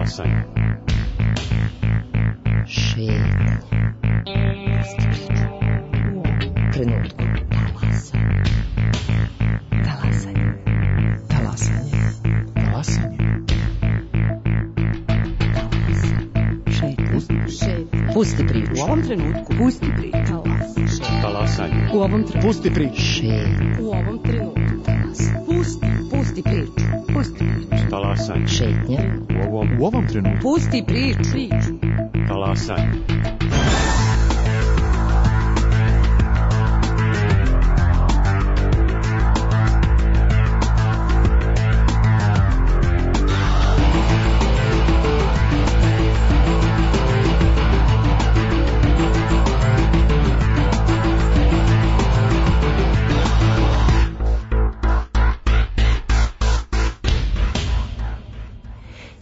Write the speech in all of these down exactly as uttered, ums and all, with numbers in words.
Talasanje. Šetnje. Trenutku. Talasanje. Talasanje. Talasanje. Šetnje. Pusti priču. U ovom trenutku. Pusti priču. Talasanje. U ovom trenutku. Pusti priču. Šetnje. U ovom trenutku. Pusti. Pusti priču. Pusti priču. Talasanje. Šetnje. U ovom, u ovom trenutku. Pusti priču. Priču. Talasanje.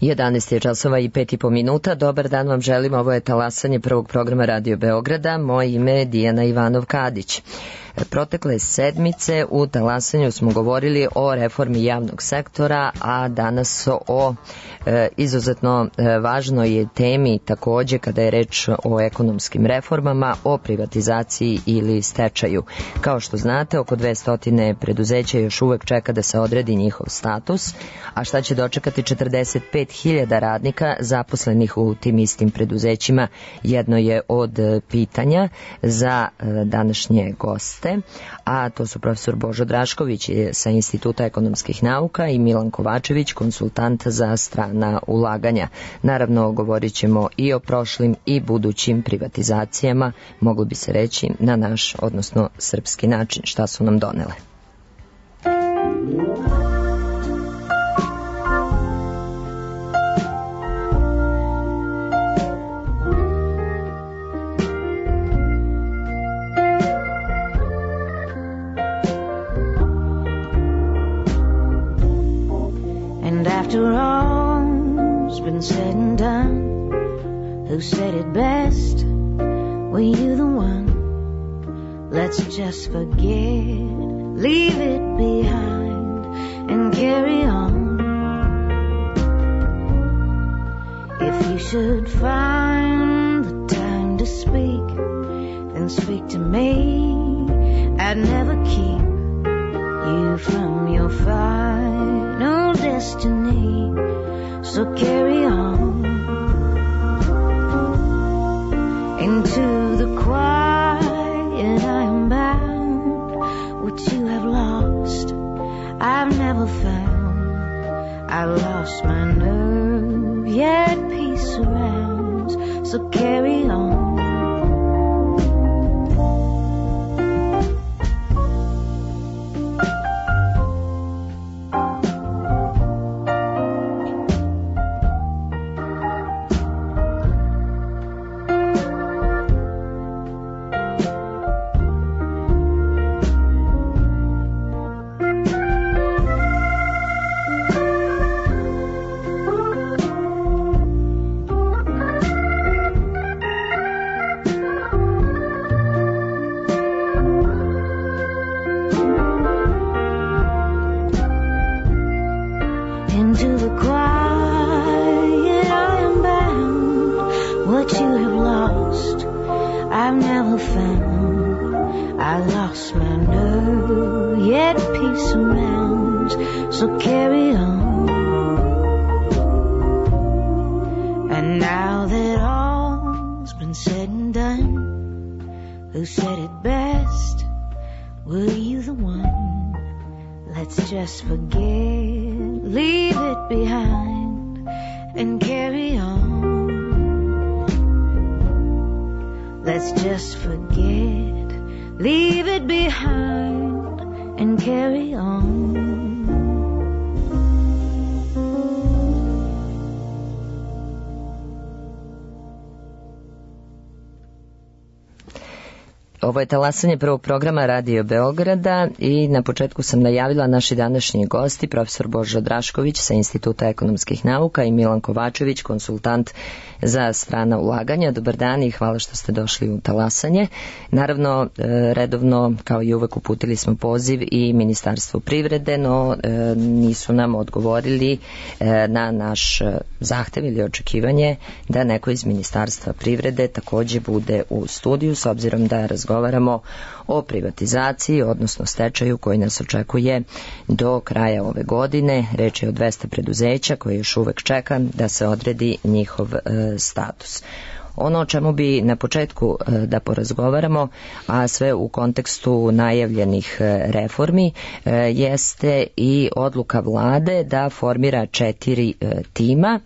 jedanaest je časova i pet i po minuta. Dobar dan vam želim. Ovo je talasanje prvog programa Radio Beograda. Moje ime je Dijana Ivanov-Kadić. Protekle sedmice u talasanju smo govorili o reformi javnog sektora, a danas o e, izuzetno e, važnoj temi takođe kada je reč o ekonomskim reformama, o privatizaciji ili stečaju. Kao što znate, oko dvesta preduzeća još uvek čeka da se odredi njihov status, a šta će dočekati četrdeset pet hiljada radnika zaposlenih u tim istim preduzećima jedno je od pitanja za e, današnje goste, a to su profesor Božo Drašković sa Instituta ekonomskih nauka i Milan Kovačević, konsultant za strana ulaganja. Naravno, govorit ćemo i o prošlim i budućim privatizacijama, moglo bi se reći na naš, odnosno srpski način, šta su nam donele. After all's been said and done, who said it best? Were you the one? Let's just forget, leave it behind, and carry on. If you should find the time to speak, then speak to me. I'd never keep you from your final destiny, so carry on into the quiet. I am bound. What you have lost, I've never found. I lost my nerve, yet peace surrounds, so carry on. Ovo je talasanje prvog programa Radio Beograda i na početku sam najavila naši današnji gosti, profesor Božo Drašković sa Instituta ekonomskih nauka i Milan Kovačević, konsultant za strana ulaganja. Dobar dan i hvala što ste došli u talasanje. Naravno, redovno, kao i uvek, uputili smo poziv i Ministarstvu privrede, no nisu nam odgovorili na naš zahtev ili očekivanje da neko iz Ministarstva privrede takođe bude u studiju, s obzirom da razgovaramo o privatizaciji, odnosno stečaju koji nas očekuje do kraja ove godine. Reč je o dvesta preduzeća koje još uvek čeka da se odredi njihov e, status. Ono o čemu bi na početku da porazgovaramo, a sve u kontekstu najavljenih reformi, jeste i odluka vlade da formira četiri tima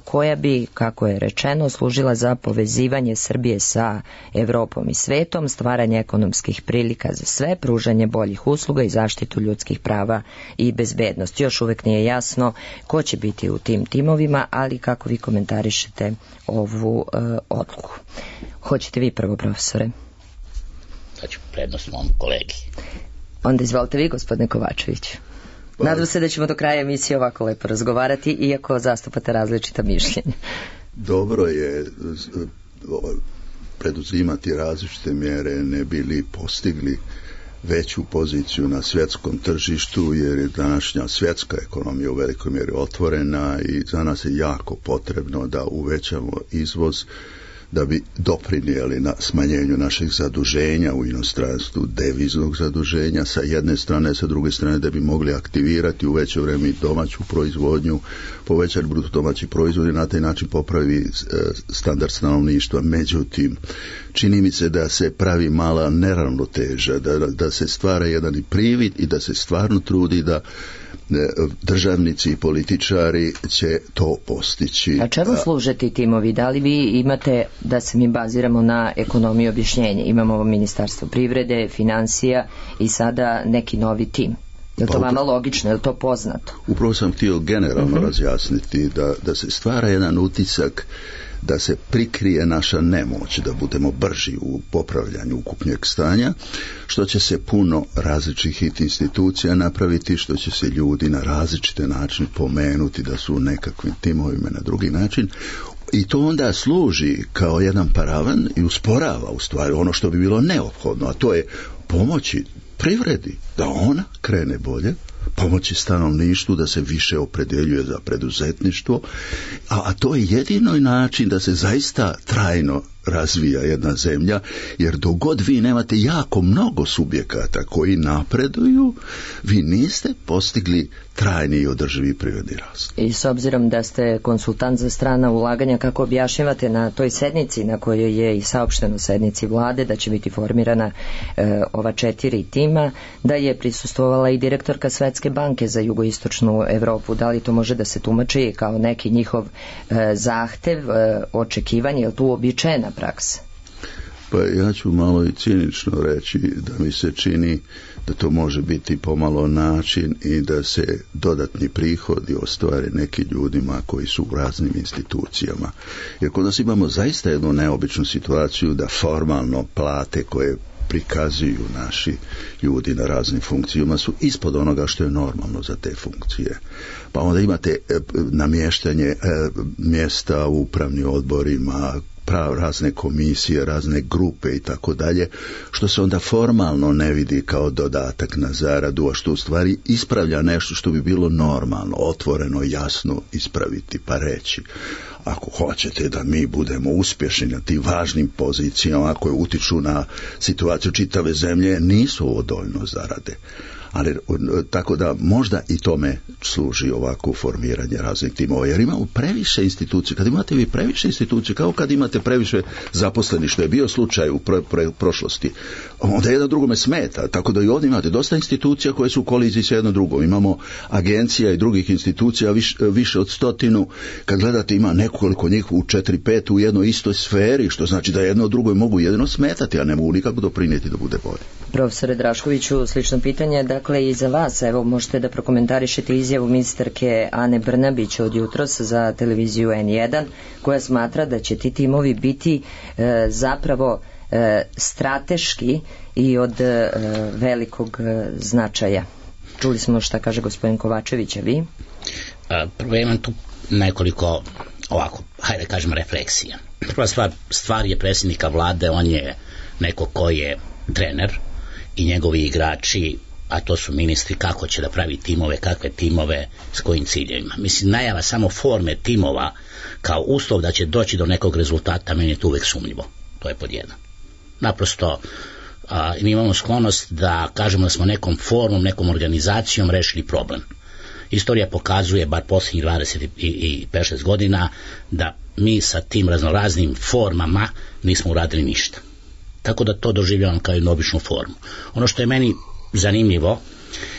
koja bi, kako je rečeno, služila za povezivanje Srbije sa Evropom i svetom, stvaranje ekonomskih prilika za sve, pružanje boljih usluga i zaštitu ljudskih prava i bezbednost. Još uvek nije jasno ko će biti u tim timovima, ali kako vi komentarišete ovu odluku. Hoćete vi prvo, profesore? Da ću prednost mom kolegi. Onda izvolite vi, gospodine Kovačević. Nadam se da ćemo do kraja emisije ovako lepo razgovarati, iako zastupate različita mišljenja. Dobro je preduzimati različite mjere, ne bili postigli veću poziciju na svjetskom tržištu, jer je današnja svjetska ekonomija u velikoj mjeri otvorena i za nas je jako potrebno da uvećamo izvoz da bi doprinijeli na smanjenju naših zaduženja u inostranstvu, deviznog zaduženja sa jedne strane, sa druge strane da bi mogli aktivirati u veće vrijeme domaću proizvodnju, povećati bruto domaći proizvod i na taj način popravi standard stanovništva. Međutim, čini mi se da se pravi mala neravnoteža, da, da se stvara jedan privid i da se stvarno trudi da državnici i političari će to postići. A čemu služe ti timovi? Da li vi imate, da se mi baziramo na ekonomiju, objašnjenje? Imamo Ministarstvo privrede, financija i sada neki novi tim. Je li to vama logično? Je li to poznato? Upravo sam htio generalno uh-huh. razjasniti da, da se stvara jedan utisak da se prikrije naša nemoć, da budemo brži u popravljanju ukupnjeg stanja, što će se puno različitih institucija napraviti, što će se ljudi na različite načine pomenuti da su u nekakvim timovima na drugi način. I to onda služi kao jedan paravan i usporava u stvari ono što bi bilo neophodno, a to je pomoći privredi da ona krene bolje, pomoći stanovništvu da se više opredjeljuje za preduzetništvo, a, a to je jedino način da se zaista trajno razvija jedna zemlja, jer dok god vi nemate jako mnogo subjekata koji napreduju, vi niste postigli trajni i održivi privredni rast. I s obzirom da ste konsultant za strana ulaganja, kako objašnjavate na toj sednici na kojoj je i saopšteno sednici vlade da će biti formirana e, ova četiri tima, da je prisustvovala i direktorka Svetske banke za jugoistočnu Evropu? Da li to može da se tumači kao neki njihov e, zahtev, e, očekivanje, je li tu uobičajena praksa? Pa ja ću malo i cinično reći da mi se čini da to može biti pomalo način i da se dodatni prihodi ostvare nekim ljudima koji su u raznim institucijama. Jer kod nas imamo zaista jednu neobičnu situaciju da formalno plate koje prikazuju naši ljudi na raznim funkcijama su ispod onoga što je normalno za te funkcije. Pa onda imate namještanje mjesta u upravnim odborima, prav, razne komisije, razne grupe i tako dalje, što se onda formalno ne vidi kao dodatak na zaradu, a što u stvari ispravlja nešto što bi bilo normalno, otvoreno, jasno ispraviti, pa reći: ako hoćete da mi budemo uspješni na tim važnim pozicijama koje utiču na situaciju čitave zemlje, nisu ovo dovoljno zarade. Ali tako da možda i tome služi ovako formiranje raznih timova, jer imamo previše institucije. Kad imate vi previše institucije, kao kad imate previše zaposlenih, što je bio slučaj u pro, pro, prošlosti, onda jedno drugome smeta. Tako da i ovdje imate dosta institucija koje su u koliziji sa jednom drugom. Imamo agencija i drugih institucija viš, više od stotinu. Kad gledate, ima nekoliko njih u četiri pet u jednoj istoj sferi, što znači da jedno od drugoj mogu jedino smetati, a ne mogu nikako doprinijeti da bude bolje. Profesore Draškoviću, slično pitanje, dakle i za vas, evo možete da prokomentarišete izjavu ministarke Ane Brnabić od jutros za televiziju en jedan, koja smatra da će ti timovi biti e, zapravo e, strateški i od e, velikog e, značaja. Čuli smo šta kaže gospodin Kovačević, a vi? A, prvo imam tu nekoliko ovako, hajde kažem, refleksija. Prva stvar, stvar je predsjednika vlade, on je neko ko je trener i njegovi igrači, a to su ministri, kako će da pravi timove, kakve timove, s kojim ciljevima. Mislim, najava samo forme timova kao uslov da će doći do nekog rezultata, meni je to uvek sumnjivo. To je pod jedan. Naprosto, a, mi imamo sklonost da kažemo da smo nekom formom, nekom organizacijom rešili problem. Istorija pokazuje, bar posljednjih dvadeset i pet šest godina, da mi sa tim raznoraznim formama nismo uradili ništa. Tako da to doživljavam kao jednu običnu formu. Ono što je meni zanimljivo,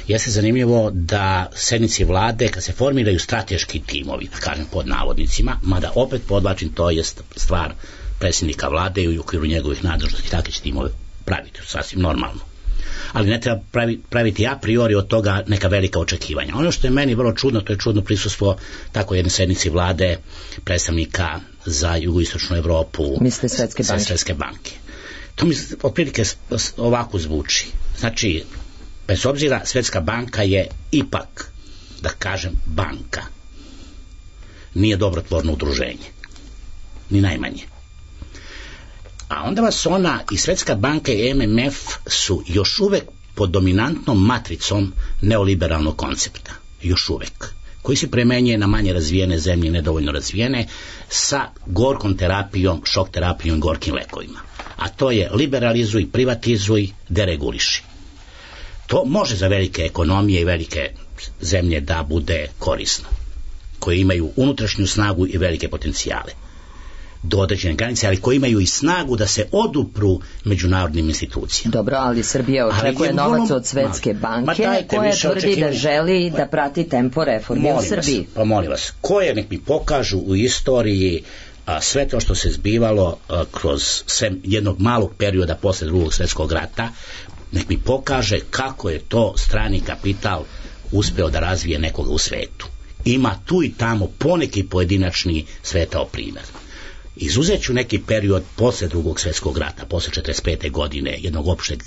jeste zanimljivo da sednici vlade, kad se formiraju strateški timovi, da kažem pod navodnicima, mada opet podlačim, to je stvar predsjednika vlade i u okviru njegovih nadležnosti, takve će timove praviti, sasvim normalno. Ali ne treba pravi, praviti a priori od toga neka velika očekivanja. Ono što je meni vrlo čudno, to je čudno prisustvo tako jedne sednici vlade predstavnika za jugoistočnu Evropu, misle Svetske banke. Svetske banke. To mi otprilike ovako zvuči. Znači, bez obzira, Svetska banka je ipak, da kažem, banka. Nije dobrotvorno udruženje. Ni najmanje. A onda vas ona i Svetska banka i M M F su još uvek pod dominantnom matricom neoliberalnog koncepta. Još uvek. Koji se premenjuje na manje razvijene zemlje, nedovoljno razvijene, sa gorkom terapijom, šok terapijom i gorkim lekovima. A to je liberalizuj, privatizuj, dereguliši. To može za velike ekonomije i velike zemlje da bude korisno, koje imaju unutrašnju snagu i velike potencijale do određene granice, ali koji imaju i snagu da se odupru međunarodnim institucijama. Dobro, ali Srbija očekuje novac vrlo od Svetske banke, koja tvrdi očekivanje. Da želi da prati tempo reformi u Srbiji. Vas, pa molim vas, koje nek mi pokažu u istoriji a, sve to što se zbivalo a, kroz sve jednog malog perioda posle drugog svjetskog rata, nek mi pokaže kako je to strani kapital uspeo da razvije nekoga u svetu. Ima tu i tamo poneki pojedinačni svetao primjer. Izuzet ću neki period posle drugog svjetskog rata, posle četrdeset pete godine, jednog opšteg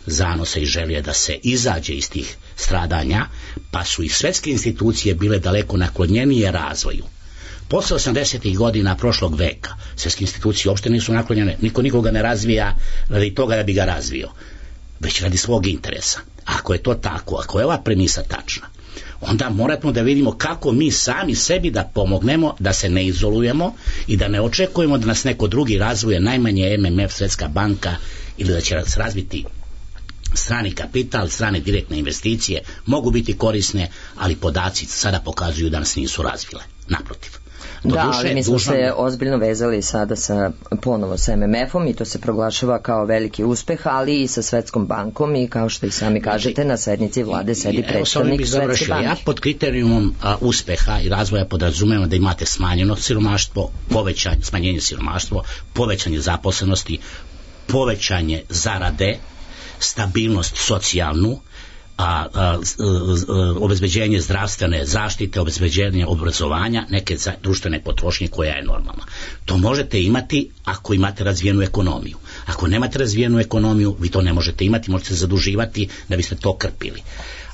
zanosa i želje da se izađe iz tih stradanja, pa su i svetske institucije bile daleko naklonjenije razvoju. Posle osamdesetih godina prošlog veka, svetske institucije uopšte nisu naklonjene, niko nikoga ne razvija radi toga da bi ga razvio, već radi svog interesa. Ako je to tako, ako je ova premisa tačna, onda moramo da vidimo kako mi sami sebi da pomognemo, da se ne izolujemo i da ne očekujemo da nas neko drugi razvije, najmanje M M F, Svetska banka, ili da će se razviti strani kapital, strane direktne investicije, mogu biti korisne, ali podaci sada pokazuju da nas nisu razvile. Naprotiv. Do da, duše, ali mi smo dužno... se ozbiljno vezali sada sa, ponovo sa M M F-om i to se proglašava kao veliki uspeh, ali i sa Svetskom bankom i kao što i sami kažete, na sednici vlade sedi predstavnik Svetske banke. Ja pod kriterijumom a, uspeha i razvoja podrazumevam da imate smanjeno siromaštvo, povećanje, smanjenje siromaštva, povećanje zaposlenosti, povećanje zarade, stabilnost socijalnu, A, a, a, a, obezbeđenje zdravstvene zaštite, obezbeđenje obrazovanja, neke za, društvene potrošnje koja je normalna. To možete imati ako imate razvijenu ekonomiju. Ako nemate razvijenu ekonomiju, vi to ne možete imati, možete se zaduživati da biste to krpili.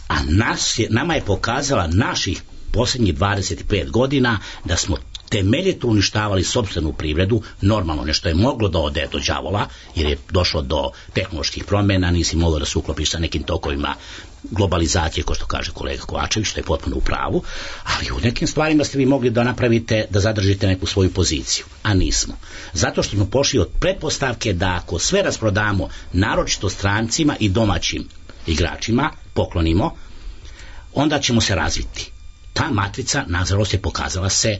A nas je, nama je pokazala naših posljednjih dvadeset pet godina da smo temeljito uništavali sopstvenu privredu, normalno nešto je moglo da ode do đavola, jer je došlo do tehnoloških promjena, nisi moglo da se uklopiš sa nekim tokovima globalizacije, ko što kaže kolega Kovačević, što je potpuno u pravu, ali u nekim stvarima ste vi mogli da napravite, da zadržite neku svoju poziciju, a nismo. Zato što smo pošli od pretpostavke da ako sve rasprodamo, naročito strancima i domaćim igračima, poklonimo, onda ćemo se razviti. Ta matrica, nažalost, je pokazala se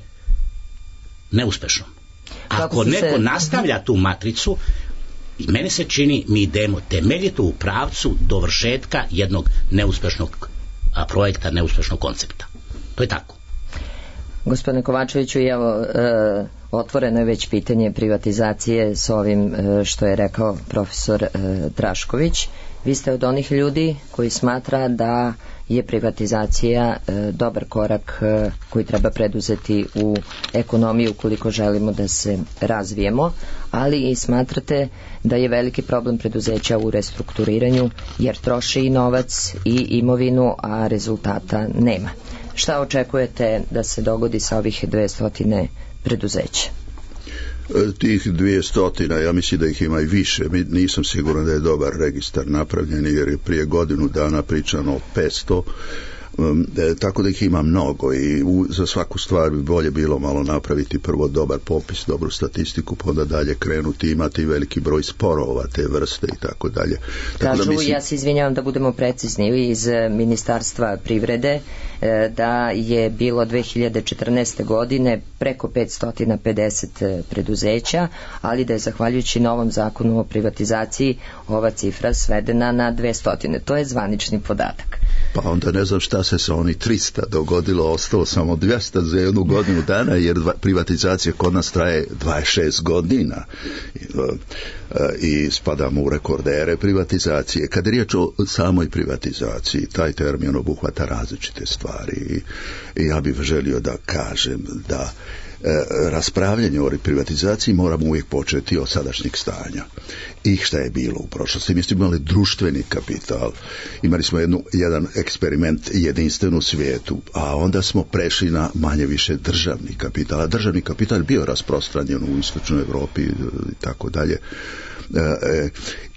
neuspešnom. Ako neko se... nastavlja tu matricu, i meni se čini, mi idemo temeljito u pravcu dovršetka jednog neuspešnog a, projekta, neuspešnog koncepta. To je tako. Gospodine Kovačeviću, evo, e, Otvoreno je već pitanje privatizacije s ovim što je rekao profesor Drašković. Vi ste od onih ljudi koji smatra da je privatizacija dobar korak koji treba preduzeti u ekonomiji ukoliko želimo da se razvijemo, ali i smatrate da je veliki problem preduzeća u restrukturiranju jer troši i novac i imovinu, a rezultata nema. Šta očekujete da se dogodi sa ovih dvesta preduzeća? Tih dvjestotina, ja mislim da ih ima i više. Nisam siguran da je dobar registar napravljen jer je prije godinu dana pričano o petsto. Um, e, tako da ih ima mnogo i u, za svaku stvar bi bolje bilo malo napraviti prvo dobar popis, dobru statistiku, pa onda dalje krenuti, imati veliki broj sporova te vrste i tako dalje. Tako Kažu, da mislim... ja se izvinjavam da budemo precizni, iz Ministarstva privrede e, da je bilo dve hiljade četrnaeste. godine preko petsto pedeset preduzeća, ali da je zahvaljujući novom zakonu o privatizaciji ova cifra svedena na dvesta. To je zvanični podatak. Pa onda ne znam šta se sa oni trista dogodilo, ostalo samo dvesta za jednu godinu dana, jer privatizacija kod nas traje dvadeset šest godina i spadamo u rekordere privatizacije. Kad je riječ o samoj privatizaciji, taj termin obuhvata različite stvari i ja bih želio da kažem da raspravljanje o privatizaciji moramo uvijek početi od sadašnjeg stanja i šta je bilo u prošlosti. Mi smo imali društveni kapital, imali smo jednu, jedan eksperiment jedinstven u svijetu, a onda smo prešli na manje više državni kapital, a državni kapital je bio rasprostranjen u istočnoj Europi i tako dalje.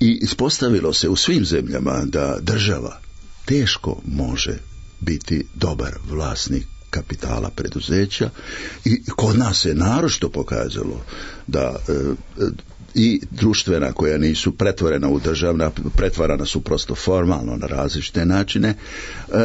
I ispostavilo se u svim zemljama da država teško može biti dobar vlasnik kapitala preduzeća i kod nas se naročito pokazalo da e, i društvena koja nisu pretvorena u državna, pretvarana su prosto formalno na različite načine, e,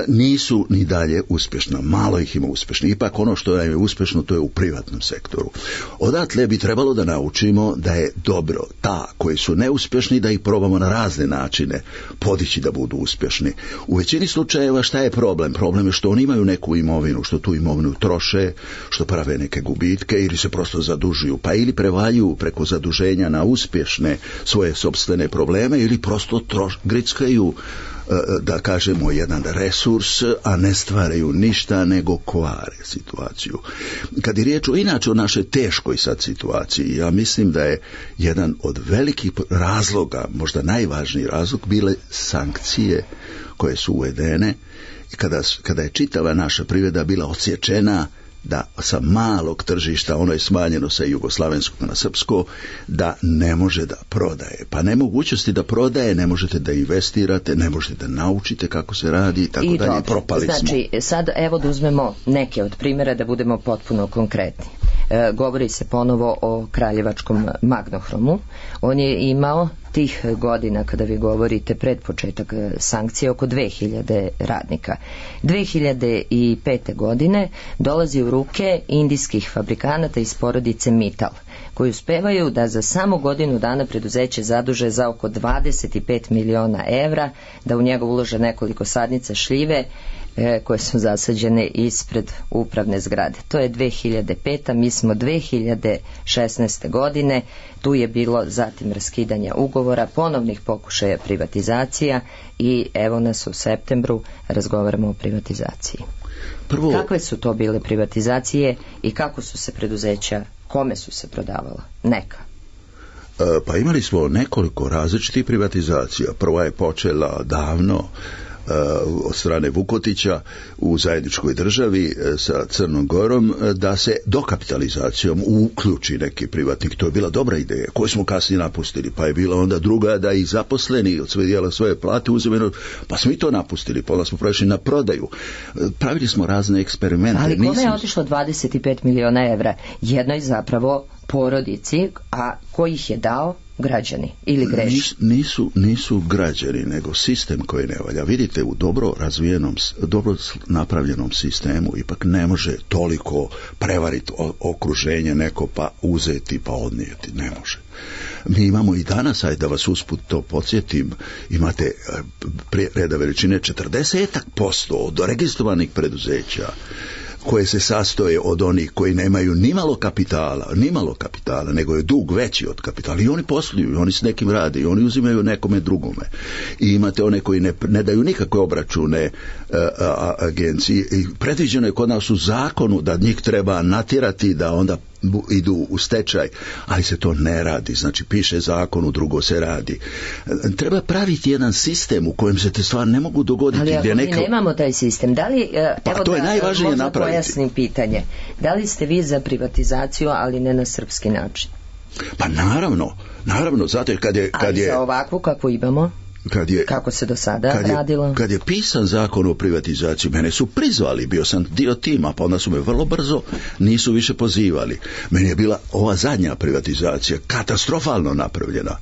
nisu ni dalje uspješna. Malo ih ima uspješno. Ipak ono što je uspješno to je u privatnom sektoru. Odatle bi trebalo da naučimo da je dobro ta koji su neuspješni da ih probamo na razne načine podići da budu uspješni. U većini slučajeva šta je problem? Problem je što oni imaju neku imovinu, što tu imovinu troše, što prave neke gubitke ili se prosto zadužuju, pa ili prevaljuju preko zaduženja na uspješne svoje sopstvene probleme ili prosto troš, grickaju, da kažemo, jedan resurs, a ne stvaraju ništa nego kvare situaciju. Kad je riječ o inače o našoj teškoj sad situaciji, ja mislim da je jedan od velikih razloga, možda najvažniji razlog, bile sankcije koje su uvedene i kada, kada je čitava naša privreda bila odsječena da sa malog tržišta, ono je smanjeno sa jugoslavenskog na srpsko, da ne može da prodaje. Pa nemogućnosti da prodaje, ne možete da investirate, ne možete da naučite kako se radi i tako I dalje. Propali znači, smo. Znači, sad evo da uzmemo neke od primjera da budemo potpuno konkretni. E, govori se ponovo o kraljevačkom Magnohromu. On je imao tih godina, kada vi govorite pred početak sankcije, oko dve hiljade radnika. dve hiljade pete. godine dolazi u ruke indijskih fabrikanata iz porodice Mittal, koji uspevaju da za samo godinu dana preduzeće zaduže za oko dvadeset pet miliona evra, da u njega ulože nekoliko sadnica šljive e, koje su zasađene ispred upravne zgrade. To je dve hiljade peta. Mi smo dve hiljade šesnaeste. godine. Tu je bilo zatim raskidanja ugovora, ponovnih pokušaja privatizacija i evo nas u septembru razgovaramo o privatizaciji. Prvo... Kakve su to bile privatizacije i kako su se preduzeća, kome su se prodavala? Neka. E, pa imali smo nekoliko različitih privatizacija. Prva je počela davno od strane Vukotića u zajedničkoj državi sa Crnom Gorom da se dokapitalizacijom uključi neki privatnik. To je bila dobra ideja koju smo kasnije napustili, pa je bila onda druga da i zaposleni od sve dijela svoje plate uzimaju, pa smo i to napustili, pa onda smo prešli na prodaju. Pravili smo razne eksperimente. Ali kome je otišlo dvadeset pet miliona evra? Jednoj zapravo porodici, a ko ih je dao? Građani ili greši? Nis, nisu, nisu građani, nego sistem koji ne valja. Vidite, u dobro razvijenom, dobro napravljenom sistemu ipak ne može toliko prevariti okruženje neko pa uzeti pa odnijeti. Ne može. Mi imamo i danas, ajde da vas usput to podsjetim, imate reda veličine četrdeset posto od registrovanih preduzeća koje se sastoje od onih koji nemaju ni malo kapitala, ni malo kapitala, nego je dug veći od kapitala i oni posluju, oni s nekim rade i oni uzimaju nekome drugome. I imate one koji ne, ne daju nikakve obračune a, a, agenciji i predviđeno je kod nas u zakonu da njih treba natjerati da onda idu u stečaj, ali se to ne radi. Znači piše zakon, u drugo se radi. Treba praviti jedan sistem u kojem se te stvari ne mogu dogoditi. Ali ako gdje mi neka... nemamo taj sistem, da li, pa, evo to je da najvažnije možda napraviti. Pojasnim pitanje, da li ste vi za privatizaciju, ali ne na srpski način? Pa naravno, naravno, zato kad je... Kad ali je... za ovakvu kako imamo? Kad je, kako se do sada kad je, radilo? Kad je pisan zakon o privatizaciji, mene su prizvali, bio sam dio tima, pa onda su me vrlo brzo nisu više pozivali. Meni je bila ova zadnja privatizacija katastrofalno napravljena.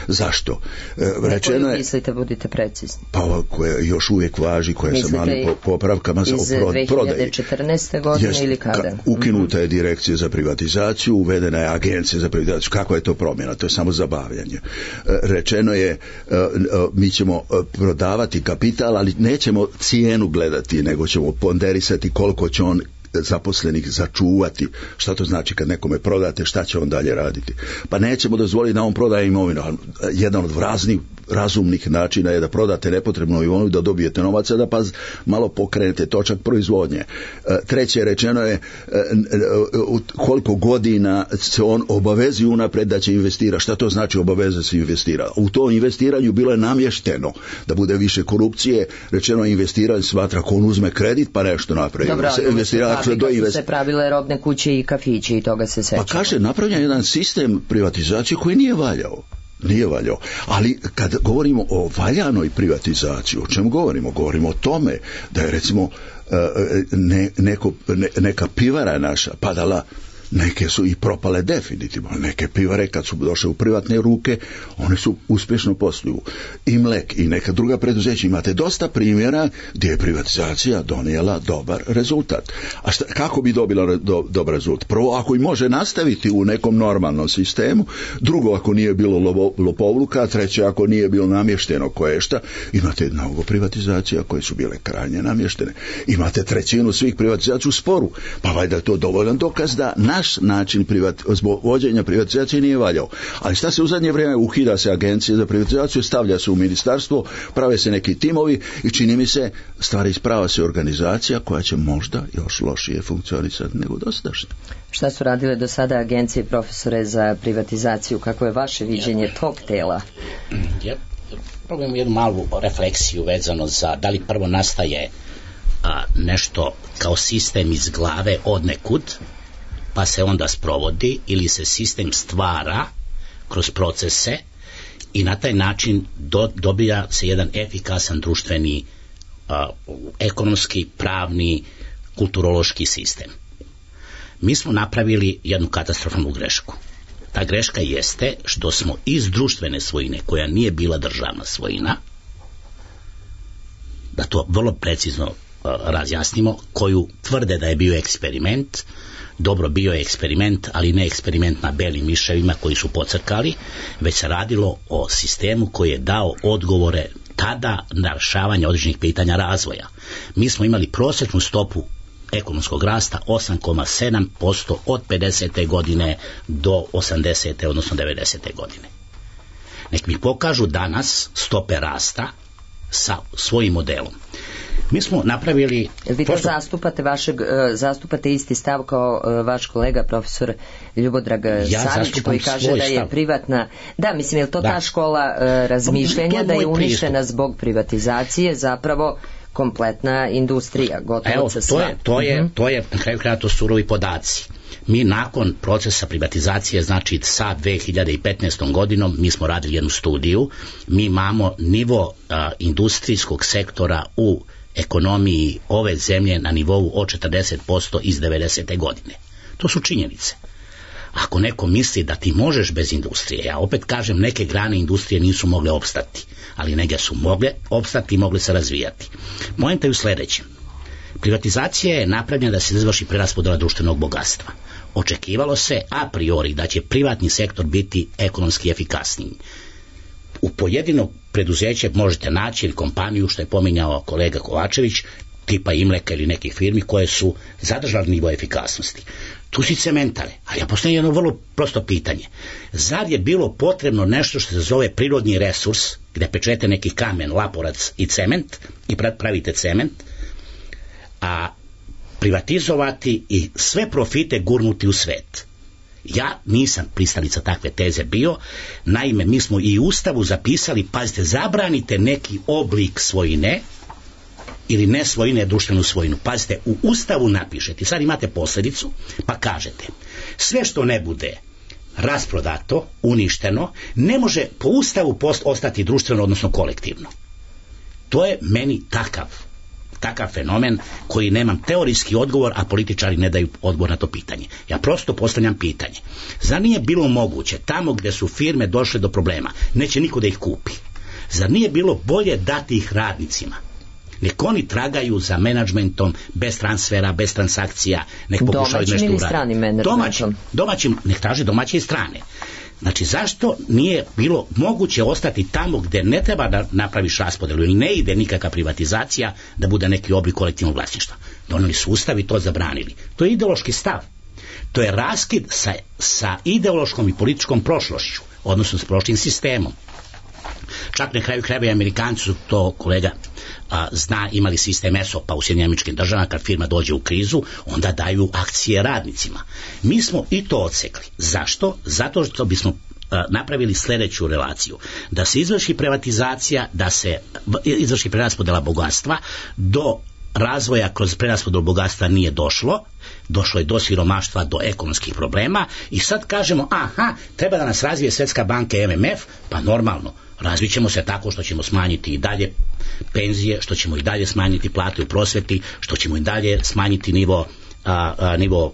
Zašto? E, rečeno je... mislite, budite precizni. Pa ova koja još uvijek važi, koja mislite sa malim popravkama za prodaji. Iz dve hiljade četrnaeste. godine Jest, ili kada? Ka, ukinuta je direkcija za privatizaciju, uvedena je agencija za privatizaciju. Kakva je to promjena? To je samo zabavljanje. E, rečeno je, e, e, mi ćemo prodavati kapital, ali nećemo cijenu gledati, nego ćemo ponderisati koliko će on zaposlenih začuvati. Šta to znači kad nekome prodate, šta će on dalje raditi? Pa nećemo dozvoliti da on prodaje imovinu. Jedan od raznih razumnih načina je da prodate nepotrebnu imovinu, da dobijete novaca, da pa malo pokrenete točak proizvodnje. Treće, rečeno je koliko godina se on obavezi unapred da će investirati. Šta to znači obaveza se investira? U to investiranju bilo je namješteno da bude više korupcije. Rečeno je investiranje smatra ako on uzme kredit pa nešto napravi. Dobro, se investira, ali kad su se pravile robne kuće i kafići i toga se seća. Pa kaže, napravljen jedan sistem privatizacije koji nije valjao. Nije valjao. Ali kad govorimo o valjanoj privatizaciji, o čemu govorimo? Govorimo o tome da je recimo ne, neko, ne, neka pivara naša padala, neke su i propale definitivno, neke pivare kad su došle u privatne ruke, one su uspješno posluju. I Mlek i neka druga preduzeća, imate dosta primjera gdje je privatizacija donijela dobar rezultat. A šta, kako bi dobila do, dobar rezultat? Prvo, ako i može nastaviti u nekom normalnom sistemu, drugo, ako nije bilo lovo, lopovluka, treće, ako nije bilo namješteno koje šta, imate mnogo privatizacija koje su bile krajnje namještene. Imate trećinu svih privatizacija u sporu, pa valjda je to dovoljan dokaz da naš način privat, vođenja privatizacije nije valjao. Ali šta se u zadnje vrijeme ukida se agencija za privatizaciju, stavlja se u ministarstvo, prave se neki timovi i čini mi se stvari isprava se organizacija koja će možda još lošije funkcionisati nego dosadašnje. Šta su radile do sada agencije, profesore, za privatizaciju? Kako je vaše viđenje tog tela? Ja probujemo jednu malu refleksiju vezano za da li prvo nastaje a, nešto kao sistem iz glave od nekud, pa se onda sprovodi, ili se sistem stvara kroz procese i na taj način do, dobija se jedan efikasan društveni, a, ekonomski, pravni, kulturološki sistem. Mi smo napravili jednu katastrofalnu grešku. Ta greška jeste što smo iz društvene svojine, koja nije bila državna svojina, da to vrlo precizno a, razjasnimo, koju tvrde da je bio eksperiment. Dobro, bio je eksperiment, ali ne eksperiment na belim miševima koji su pocrkali, već se radilo o sistemu koji je dao odgovore tada na rješavanje određenih pitanja razvoja. Mi smo imali prosječnu stopu ekonomskog rasta osam zarez sedam posto od pedesete godine do osamdesete odnosno devedesete godine. Nek mi pokažu danas stope rasta sa svojim modelom. Mi smo napravili... Vi to prosto... zastupate, vašeg, zastupate isti stav kao vaš kolega profesor Ljubodrag ja Savić, koji kaže da je stav. privatna... Da, mislim, je li to da. ta škola uh, razmišljanja da je uništena pristup. Zbog privatizacije zapravo kompletna industrija, gotovo Evo, sa to sve. je, to je, to je na kraju kraja to surovi podaci. Mi nakon procesa privatizacije, znači sa dve hiljade petnaestom godinom, mi smo radili jednu studiju, mi imamo nivo a, industrijskog sektora u ekonomiji ove zemlje na nivou od četrdeset posto iz devedesete godine. To su činjenice. Ako neko misli da ti možeš bez industrije, ja opet kažem, neke grane industrije nisu mogle opstati, ali neke su mogle opstati i mogle se razvijati. Poenta je u sljedećem. Privatizacija je napravljena da se izvrši preraspodjela društvenog bogatstva. Očekivalo se a priori da će privatni sektor biti ekonomski efikasniji. U pojedinog preduzeće možete naći ili kompaniju, što je pominjao kolega Kovačević, tipa Imleka ili nekih firmi koje su zadržali nivo efikasnosti. Tu si cementare. Ali ja postavljam jedno vrlo prosto pitanje. Zar je bilo potrebno nešto što se zove prirodni resurs, gde pečete neki kamen, laporac i cement i pravite cement, a privatizovati i sve profite gurnuti u svet? Ja nisam pristalica takve teze bio. Naime, mi smo i u Ustavu zapisali, pazite, zabranite neki oblik svojine ili ne svojine, društvenu svojinu. Pazite, u Ustavu napišete, sad imate posljedicu, pa kažete, sve što ne bude rasprodato, uništeno, ne može po Ustavu post ostati društveno, odnosno kolektivno. To je meni takav takav fenomen koji nemam teorijski odgovor, a političari ne daju odgovor na to pitanje. Ja prosto postavljam pitanje. Zar nije bilo moguće tamo gdje su firme došle do problema, neće niko da ih kupi? Zar nije bilo bolje dati ih radnicima? Nek oni tragaju za menadžmentom bez transfera, bez transakcija, nek pokušaju nešto uraditi. Domaćim ili stranim menadžmentom? Domaćim, domaćim, nek traže domaće i strane. Znači, zašto nije bilo moguće ostati tamo gdje ne treba da napraviš raspodelu ili ne ide nikakva privatizacija, da bude neki oblik kolektivnog vlasništva? Doneli su ustav i to zabranili. To je ideološki stav. To je raskid sa, sa ideološkom i političkom prošlošću, odnosno s prošlim sistemom. Čak na kraju krajeva i Amerikanci su to, kolega a, zna, imali sistem E S O P-a u Sjedinjenim Američkim Državama. Kad firma dođe u krizu, onda daju akcije radnicima. Mi smo i to odsekli. Zašto? Zato što bismo a, napravili sljedeću relaciju. Da se izvrši privatizacija, da se izvrši preraspodela bogatstva, do razvoja kroz preraspodelu bogatstva nije došlo, došlo je do siromaštva, do ekonomskih problema i sad kažemo, aha, treba da nas razvije Svjetska banka i M M F, pa normalno, razvit ćemo se tako što ćemo smanjiti i dalje penzije, što ćemo i dalje smanjiti plate u prosveti, što ćemo i dalje smanjiti nivo, a, a, nivo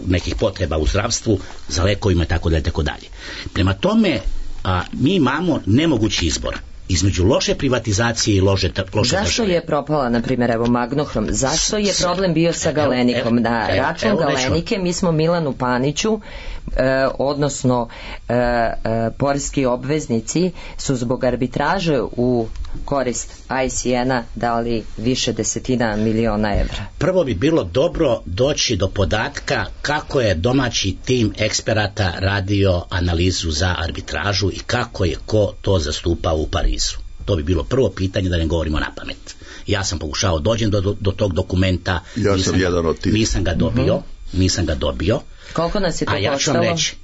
nekih potreba u zdravstvu, za lekovima i tako dalje, tako dalje. Prema tome, a, mi imamo nemogući izbor između loše privatizacije i loše, loše Zašto države. je propala, na primjer, evo Magnohrom? Zašto je problem bio sa Galenikom? Na račun evo, Galenike mi smo Milanu Paniću, e, odnosno e, e, poreski obveznici su zbog arbitraže u korist I C N-a dali više desetina miliona evra. Prvo bi bilo dobro doći do podatka kako je domaći tim eksperata radio analizu za arbitražu i kako je ko to zastupao u Parizu. To bi bilo prvo pitanje, da ne govorimo na pamet. Ja sam pokušao dođem do, do, do tog dokumenta, ja nisam, sam jedan od tih. nisam ga dobio, uh-huh. nisam ga dobio. Koliko nas je to a ja ću vam reći,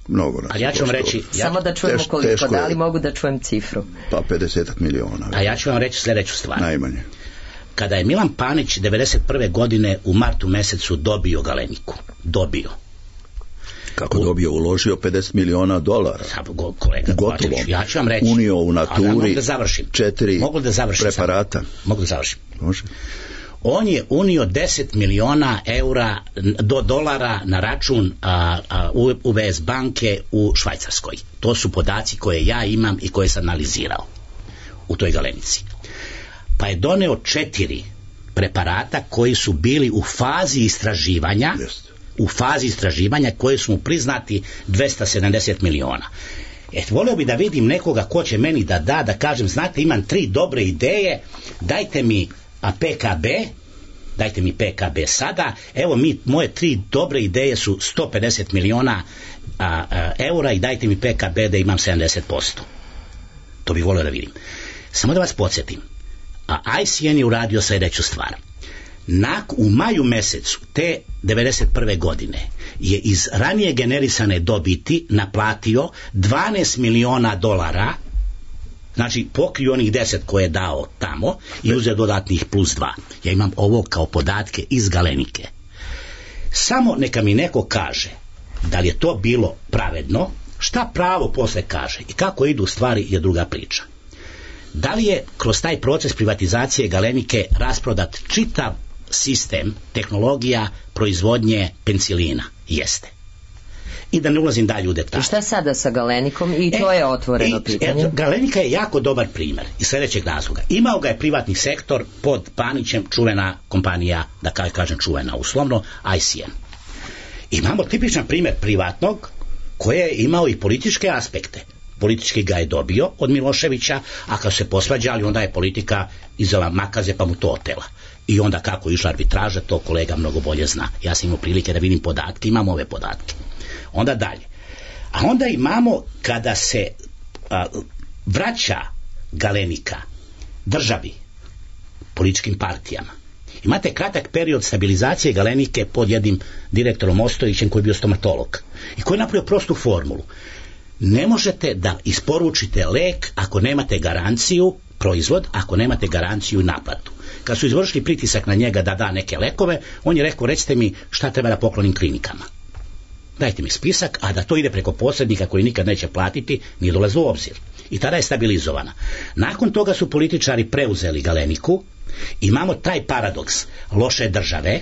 mnogo nas a ja ću vam reći, ja, samo da čujemo teš, koliko, da li mogu da čujem cifru? Pa pedeset miliona. A ja ću vam reći sljedeću stvar. Najmanje. Kada je Milan Panić devedeset prve godine u martu mesecu dobio Galeniku, dobio. Kako dobio? Uložio pedeset miliona dolara. Kolega Kovačević, ja ću vam reći. Unio u naturi da završim. četiri mogu da završim preparata. Sam. Mogu da završim. Može. On je unio deset miliona eura do dolara na račun a, a, U B S banke u Švajcarskoj. To su podaci koje ja imam i koje sam analizirao u toj Galenici. Pa je doneo četiri preparata koji su bili u fazi istraživanja, Jest. u fazi istraživanja koje su mu priznati dvesta sedamdeset miliona. E, volio bi da vidim nekoga ko će meni da da, da kažem, znate, imam tri dobre ideje, dajte mi a P K B, dajte mi P K B sada, evo mi, moje tri dobre ideje su sto pedeset miliona a, a, eura i dajte mi P K B da imam sedamdeset posto. To bih volio da vidim. Samo da vas podsjetim, a I C N je uradio sljedeću stvar. Nak, u maju mesecu te devedeset prve godine je iz ranije generisane dobiti naplatio dvanaest miliona dolara, znači pokrio onih deset koje je dao tamo i uzeo dodatnih plus dva. Ja imam ovo kao podatke iz Galenike. Samo neka mi neko kaže da li je to bilo pravedno, šta pravo posle kaže i kako idu stvari je druga priča. Da li je kroz taj proces privatizacije Galenike rasprodat čitav sistem, tehnologija, proizvodnje penicilina? Jeste. I da ne ulazim dalje u detalje. I šta sada sa Galenikom? I to e, je otvoreno i, pitanje. E, Galenika je jako dobar primjer iz sljedećeg razloga. Imao ga je privatni sektor pod Panićem, čuvena kompanija, da kažem čuvena uslovno, I C N. Imamo tipičan primjer privatnog koji je imao i političke aspekte. Politički ga je dobio od Miloševića, a kad se posvađali, onda je politika izela makaze pa mu to otela. I onda kako je išla arbitraža, to kolega mnogo bolje zna. Ja sam imao prilike da vidim podatke, imam ove podatke. Onda dalje. A onda imamo kada se a, vraća Galenika državi, političkim partijama. Imate kratak period stabilizacije Galenike pod jednim direktorom Ostojićem koji je bio stomatolog i koji je napravio prostu formulu. Ne možete da isporučite lek ako nemate garanciju, proizvod, ako nemate garanciju i naplatu. Kad su izvršili pritisak na njega da da neke lekove, on je rekao, recite mi šta treba da poklonim klinikama. Dajte mi spisak, a da to ide preko posrednika koji nikad neće platiti, nije dolazi u obzir. I tada je stabilizovana. Nakon toga su političari preuzeli Galeniku. Imamo taj paradoks loše države,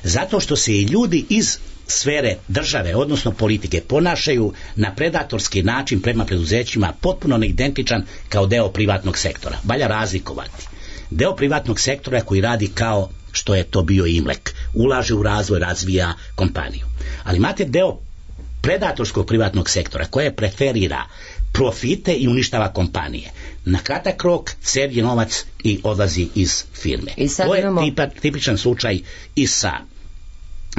zato što se i ljudi iz sfere države, odnosno politike, ponašaju na predatorski način prema preduzećima potpuno neidentičan kao deo privatnog sektora. Valja razlikovati. Deo privatnog sektora koji radi kao što je to bio Imlek, ulaže u razvoj, razvija kompaniju. Ali imate deo predatorskog privatnog sektora koje preferira profite i uništava kompanije. Na kratak rok serije novac i odlazi iz firme. I to je imamo... tipa, tipičan slučaj i sa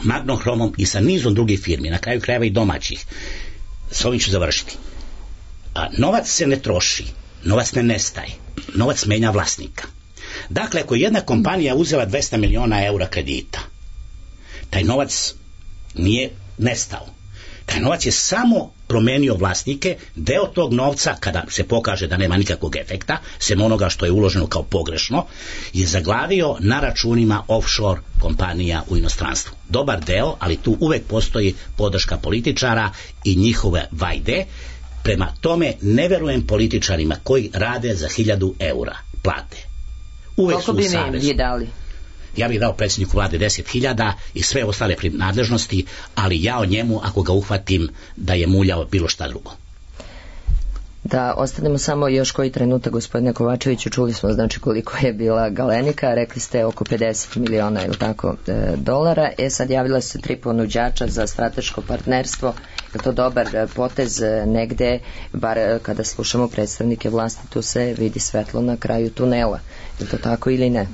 Magnohromom i sa nizom drugih firmi, na kraju krajeva i domaćih. S ovim ću završiti. A, novac se ne troši, novac ne nestaje, novac menja vlasnika. Dakle, ako je jedna kompanija uzela dvesta miliona eura kredita, taj novac nije nestao. Taj novac je samo promenio vlasnike, deo tog novca, kada se pokaže da nema nikakvog efekta, sem onoga što je uloženo kao pogrešno, je zaglavio na računima offshore kompanija u inostranstvu. Dobar deo, ali tu uvek postoji podrška političara i njihove vajde. Prema tome ne verujem političarima koji rade za hiljadu eura plate. Uvek koliko su u bi savezu. vi dali? Ja bih dao predsjedniku vlade deset hiljada i sve ostale nadležnosti, ali ja o njemu, ako ga uhvatim da je muljao bilo šta drugo. Da ostanemo samo još koji trenutak, gospodine Kovačeviću, čuli smo znači koliko je bila Galenika, rekli ste oko pedeset miliona ili tako e, dolara, e sad javila se tri ponuđača za strateško partnerstvo. Je to dobar potez negde, bar kada slušamo predstavnike vlasti, tu se vidi svetlo na kraju tunela, je to tako ili ne?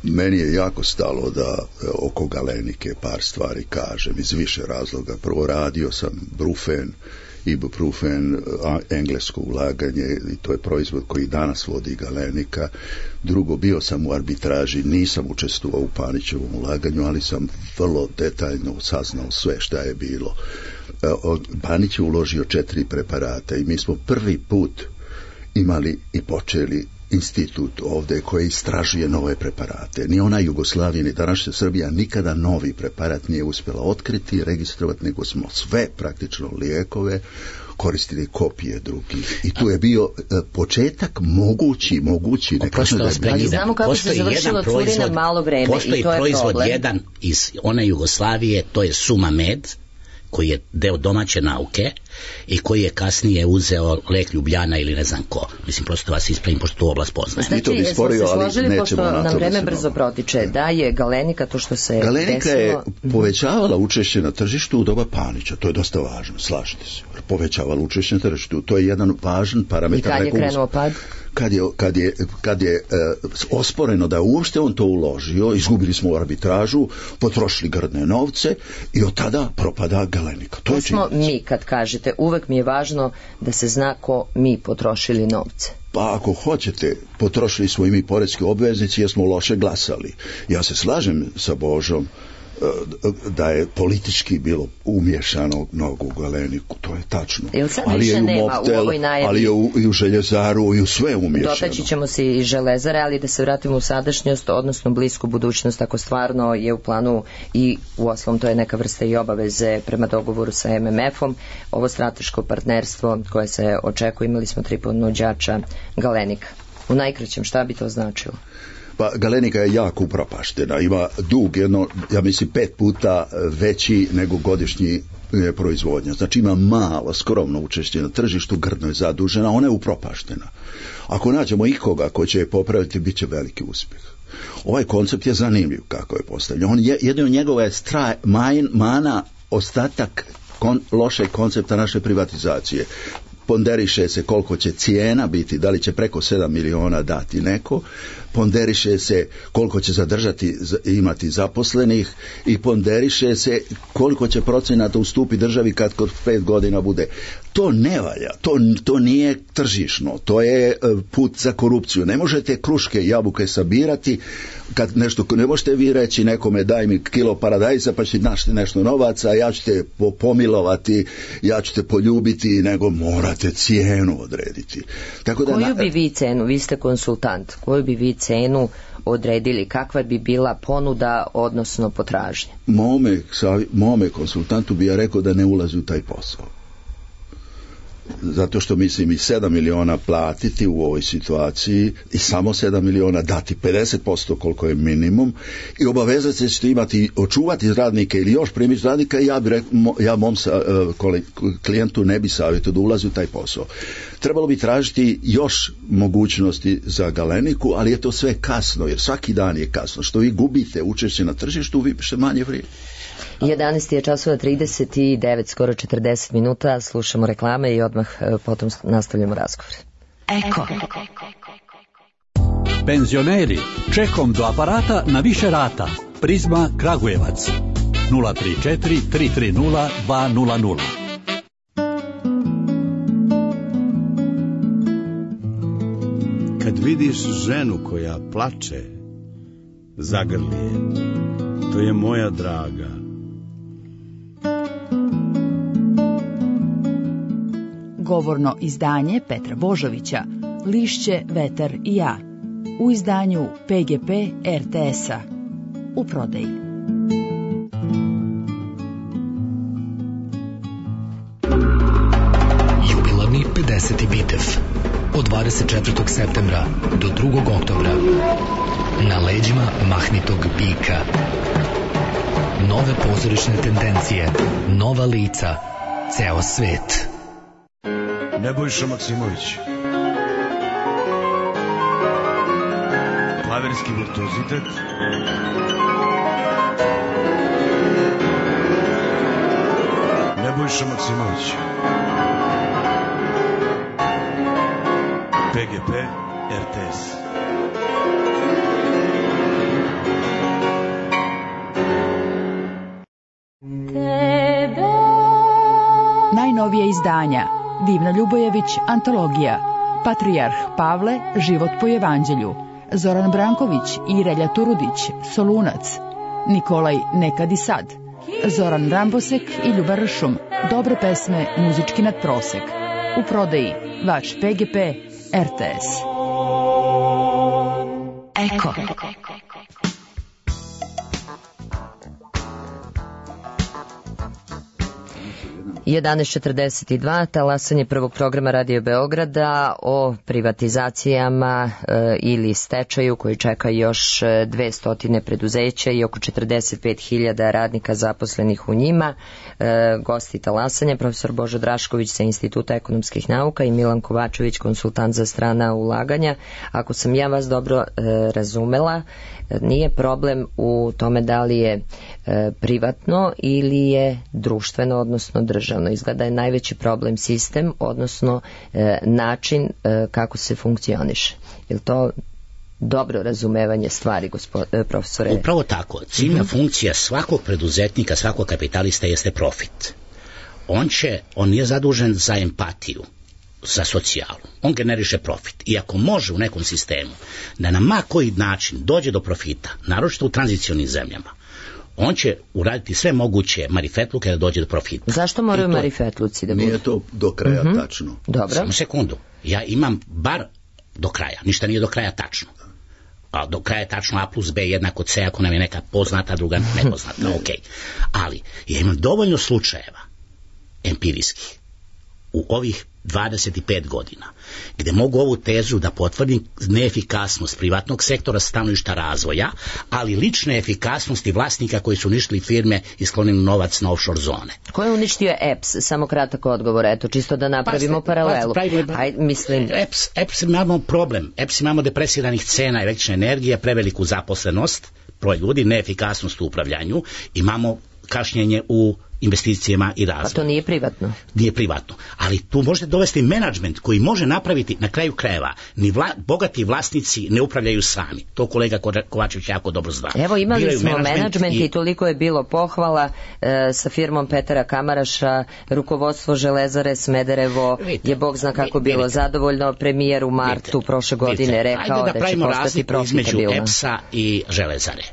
Meni je jako stalo da oko Galenike par stvari kažem iz više razloga. Prvo, radio sam Brufen, Ibuprofen, englesko ulaganje i to je proizvod koji danas vodi Galenika. Drugo, bio sam u arbitraži, nisam učestvovao u Panićevom ulaganju, ali sam vrlo detaljno saznao sve šta je bilo. Panić je uložio četiri preparata i mi smo prvi put imali i počeli institut ovdje koji istražuje nove preparate. Ni ona Jugoslavija, ni današnja Srbija nikada novi preparat nije uspjela otkriti i registrovati, nego smo sve praktično lijekove koristili kopije drugih. I tu je bio uh, početak mogući, mogući. Ne kažem da je ali znamo kako se završilo curina malo vreme postoji i to je proizvod problem. Jedan iz one Jugoslavije, to je Sumamed, koji je deo domaće nauke i koji je kasnije uzeo lek Ljubljana ili ne znam ko. Mislim, prosto vas ispravim, pošto tu oblast poznaje. Znači, jesmo se složili, pošto nam vreme brzo protiče, da je Galenika to što se Galenika desilo... je povećavala učešće na tržištu u doba Panića, to je dosta važno, slažite se. Povećavala učešće na tržištu, to je jedan važan parametar. I kad je krenuo pad? Kad je, kad je, kad je uh, osporeno da uopšte on to uložio, izgubili smo arbitražu, potrošili grdne novce i od tada propada Galenika. To, to je smo mi, kad kažete, uvek mi je važno da se zna ko mi potrošili novce. Pa ako hoćete, potrošili smo i mi poreski obveznici jer smo loše glasali. Ja se slažem sa Božom da je politički bilo umješano mnogo u Galeniku, to je tačno. Ali je i u Mobtel, ali je u, i u Željezaru i u sve umješano. Dotaći ćemo se i Železare, ali da se vratimo u sadašnjost, odnosno blisku budućnost, ako stvarno je u planu i u osnovom to je neka vrsta i obaveze prema dogovoru sa M M F-om, ovo strateško partnerstvo koje se očekuje, imali smo tri ponuđača Galenika. U najkraćem, šta bi to značilo? Pa Galenika je jako upropaštena, ima dug jedno, ja mislim, pet puta veći nego godišnji proizvodnja. Znači ima malo, skromno učešće na tržištu, grdno je zadužena, ona je upropaštena. Ako nađemo ikoga ko će je popraviti, bit će veliki uspjeh. Ovaj koncept je zanimljiv kako je postavljen. On je, jedno njegova je straj, man, mana, ostatak kon, lošeg koncepta naše privatizacije. ponderiše se koliko će cijena biti, da li će preko sedam miliona dati neko, ponderiše se koliko će zadržati, imati zaposlenih i ponderiše se koliko će procenata ustupi državi kad kod pet godina bude. To ne valja, to, to nije tržišno, to je put za korupciju. Ne možete kruške i jabuke sabirati, kad nešto, ne možete vi reći nekome daj mi kilo paradajza pa ćete našti nešto novaca, ja ću te pomilovati, ja ću te poljubiti, nego morate cijenu odrediti. Tako da, koju bi vi cenu, vi ste konsultant, koju bi vi cenu odredili, kakva bi bila ponuda odnosno potražnja? Mome, mome konsultantu bi ja rekao da ne ulazi u taj posao. Zato što mislim i sedam miliona platiti u ovoj situaciji i samo sedam miliona dati pedeset posto koliko je minimum i obavezati se ćete imati, očuvati radnike ili još primiti radnika, ja bi rekao, ja mom sa, klijentu ne bi savjetio da ulazi u taj posao. Trebalo bi tražiti još mogućnosti za Galeniku, ali je to sve kasno, jer svaki dan je kasno. Što vi gubite učešće na tržištu, vi ste manje vrijedi. jedanaest je časova trideset devet, skoro četrdeset minuta, slušamo reklame i odmah potom nastavljamo razgovor. Eko. Penzioneri, čekom do aparata na više rata. Prizma Kragujevac. nula tri četiri tri tri nula dva nula nula. Kad vidiš ženu koja plače, zagrli je. To je moja draga. Govorno izdanje Petra Božovića, Lišće, vetar i ja, u izdanju P G P R T S-a, u prodaji. Jubilarni pedeseti Bitev od dvadeset četvrtog septembra do drugog oktobra na leđima mahnitog bika. Nove pozorišne tendencije, nova lica, ceo svet. Nebojša Maksimović. Klaverski virtuozitet. Nebojša Maksimović. P G P R T S. Najnovije izdanja Divna Ljubojević, antologija, Patrijarh Pavle, život po evanđelju, Zoran Branković i Relja Turudić, Solunac, Nikolaj Nekad i sad, Zoran Rambosek i Ljubar Ršum, dobre pesme, muzički nadprosek. U prodaji vaš P G P R T S. Eko. jedanaest četrdeset dva, talasanje prvog programa Radio Beograda o privatizacijama e, ili stečaju koji čeka još dvesta preduzeća i oko četrdeset pet hiljada radnika zaposlenih u njima. E, gosti talasanja, profesor Božo Drašković sa Instituta ekonomskih nauka i Milan Kovačević, konsultant za strana ulaganja. Ako sam ja vas dobro e, razumela, nije problem u tome da li je e, privatno ili je društveno, odnosno državno. Izgleda je najveći problem sistem, odnosno e, način e, kako se funkcioniše. Je li to dobro razumevanje stvari, gospod, e, profesore? Upravo tako. Ciljna mm-hmm. funkcija svakog preduzetnika, svakog kapitalista jeste profit. On će, on nije zadužen za empatiju, za socijalu. On generiše profit. I ako može u nekom sistemu da na ma koji način dođe do profita, naročito u tranzicionim zemljama, on će uraditi sve moguće marifetluke da dođe do profita. Zašto moraju to, marifetluci da budu? Nije to do kraja mm-hmm. tačno. Dobro. Samo sekundu. Ja imam bar do kraja. Ništa nije do kraja tačno. A do kraja je tačno A plus B jednako C, ako nam je neka poznata, druga nepoznata. Ok. Ali ja imam dovoljno slučajeva empirijskih u ovih dvadeset pet godina, gde mogu ovu tezu da potvrdim neefikasnost privatnog sektora stanovišta razvoja, ali lične efikasnosti vlasnika koji su uništili firme i sklonili novac na offshore zone. Ko je uništio E P S? Samo kratak odgovor, eto, čisto da napravimo pa, paralelu. Pa, pravimo, Aj, mislim... E P S, E P S imamo problem. E P S imamo depresiranih cena električne energije, preveliku zaposlenost, broj ljudi, neefikasnost u upravljanju, imamo kašnjenje u investicijama i razvoju. A to nije privatno? Nije privatno, ali tu možete dovesti menadžment koji može napraviti na kraju krajeva. Ni vla, bogati vlasnici ne upravljaju sami. To kolega Kovačević jako dobro zna. Evo imali Biraju smo menadžment i... i toliko je bilo pohvala e, sa firmom Petera Kamaraša, rukovodstvo Železare Smederevo vidite, je Bog zna kako vidite, bilo zadovoljno. Premijer u martu vidite, prošle godine vidite, rekao da, da će postati profitabilna. Između E P S-a i Železare.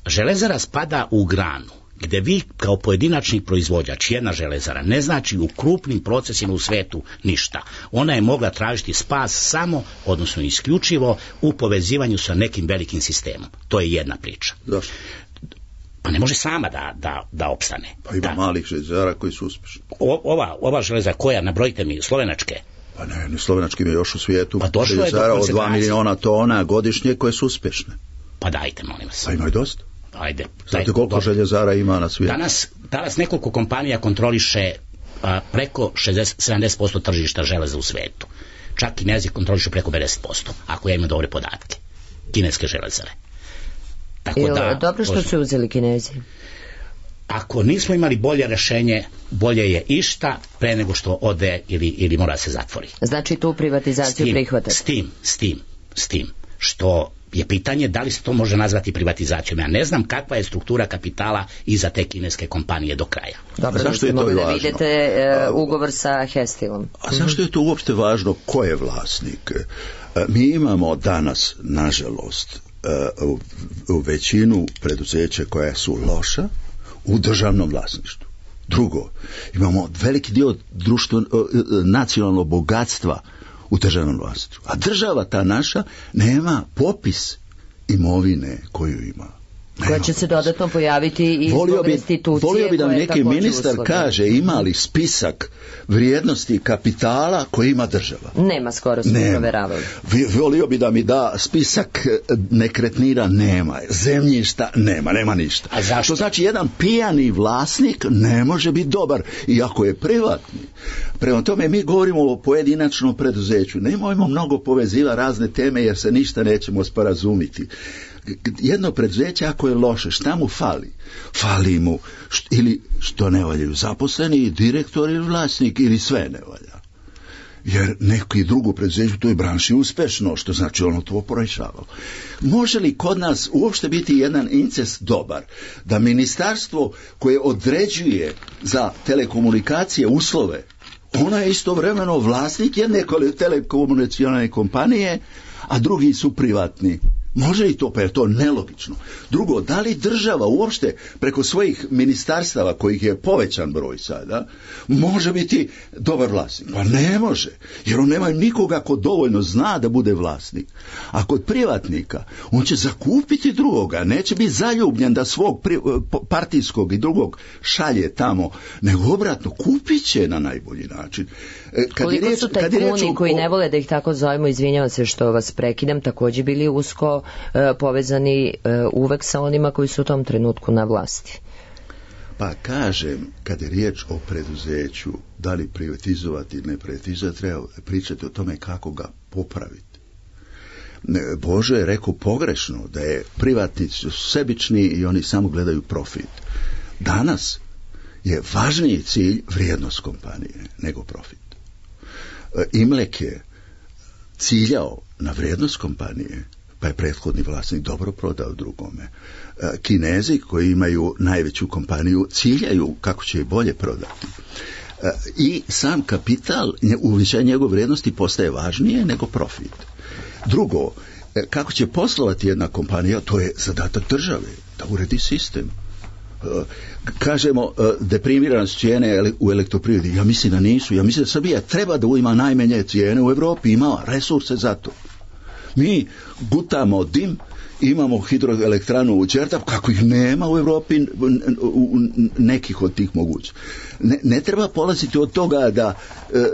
Železara spada u granu gde vi kao pojedinačni proizvođač, jedna železara, ne znači u krupnim procesima u svetu ništa. Ona je mogla tražiti spas samo, odnosno isključivo, u povezivanju sa nekim velikim sistemom. To je jedna priča. Zašto? Pa ne može sama da, da, da opstane. Pa ima da. malih železara koji su uspešni. O, ova, ova železara koja, nabrojite mi, slovenačke? Pa ne, ne slovenački mi je još u svijetu. Pa došlo je do od dva miliona tona godišnje koje su uspešne. Pa dajte, molim vas. Pa ima i dosta. Ajde. Znate koliko do... željezara ima na svijetu? Danas, danas nekoliko kompanija kontroliše a, preko šezdeset do sedamdeset posto tržišta železa u svetu. Čak Kinezi kontrolišu preko pedeset posto, ako ja imam dobre podatke. Kineske železare. Tako Ili, da, dobro što su uzeli Kinezi. Ako nismo imali bolje rešenje, bolje je išta pre nego što ode ili, ili mora se zatvori. Znači tu privatizaciju prihvatati? S tim, s tim, s tim, što je pitanje da li se to može nazvati privatizacijom. Ja ne znam kakva je struktura kapitala iza te kineske kompanije do kraja. Dobro, zašto je to važno? Da vidite e, ugovor sa Hestilom. A zašto je to uopšte važno? Ko je vlasnik? E, mi imamo danas, nažalost, e, u, u većinu preduzeća koja su loša u državnom vlasništvu. Drugo, imamo veliki dio društvo, nacionalnog bogatstva u državnom vlasništvu. A država ta naša nema popis imovine koju ima. Nema koja će se dodatno pojaviti i zbog restitucije. Volio bi da neki ministar uslovi. kaže ima li spisak vrijednosti kapitala koji ima država. Nema, skoro smo provjeravali. Volio bi da mi da spisak nekretnina, nema. Zemljišta nema, nema ništa. A zašto? To znači jedan pijani vlasnik ne može biti dobar, iako je privatni. Prema tome mi govorimo o pojedinačnom preduzeću. Nemojmo mnogo poveziva razne teme jer se ništa nećemo sporazumiti. Jedno preduzeće ako je loše, šta mu fali? Fali mu št, ili što ne valjaju zaposleni, direktor ili vlasnik ili sve ne valja. Jer neki drugo preduzeće u toj branši uspešno, što znači ono to porešavalo. Može li kod nas uopšte biti jedan incest dobar da ministarstvo koje određuje za telekomunikacije uslove, ona je istovremeno vlasnik jedne telekomunikacione kompanije, a drugi su privatni? Može li to, pa je to nelogično. Drugo, da li država uopšte preko svojih ministarstava, kojih je povećan broj sada, može biti dobar vlasnik? Pa ne može, jer on nema nikoga ko dovoljno zna da bude vlasnik. A kod privatnika, on će zakupiti drugoga, neće biti zaljubljen da svog pri, partijskog i drugog šalje tamo, nego obratno, kupit će na najbolji način. Kad Koliko riječ, su tajkuni o... koji ne vole da ih tako zovemo, izvinjavam se što vas prekidam, također bili usko e, povezani e, uvek sa onima koji su u tom trenutku na vlasti? Pa kažem, kad je riječ o preduzeću, da li privatizovati ili ne privatizovati, treba pričati o tome kako ga popraviti. Bože je rekao pogrešno da je privatnici sebični i oni samo gledaju profit. Danas je važniji cilj vrijednost kompanije nego profit. Imlek je ciljao na vrijednost kompanije, pa je prethodni vlasnik dobro prodao drugome. Kinezi koji imaju najveću kompaniju ciljaju kako će je bolje prodati. I sam kapital, uvećanje njegove vrijednosti postaje važnije nego profit. Drugo, kako će poslovati jedna kompanija, to je zadatak države, da uredi sistem. Kažemo deprimiranost cijene u elektroprivredi, ja mislim da nisu, ja mislim da Srbija treba da ima najmanje cijene u Evropi, ima resurse za to. Mi gutamo dim, imamo hidroelektranu u Đerdap, kako ih nema u Evropi u nekih od tih mogućih. Ne, ne treba polaziti od toga da e,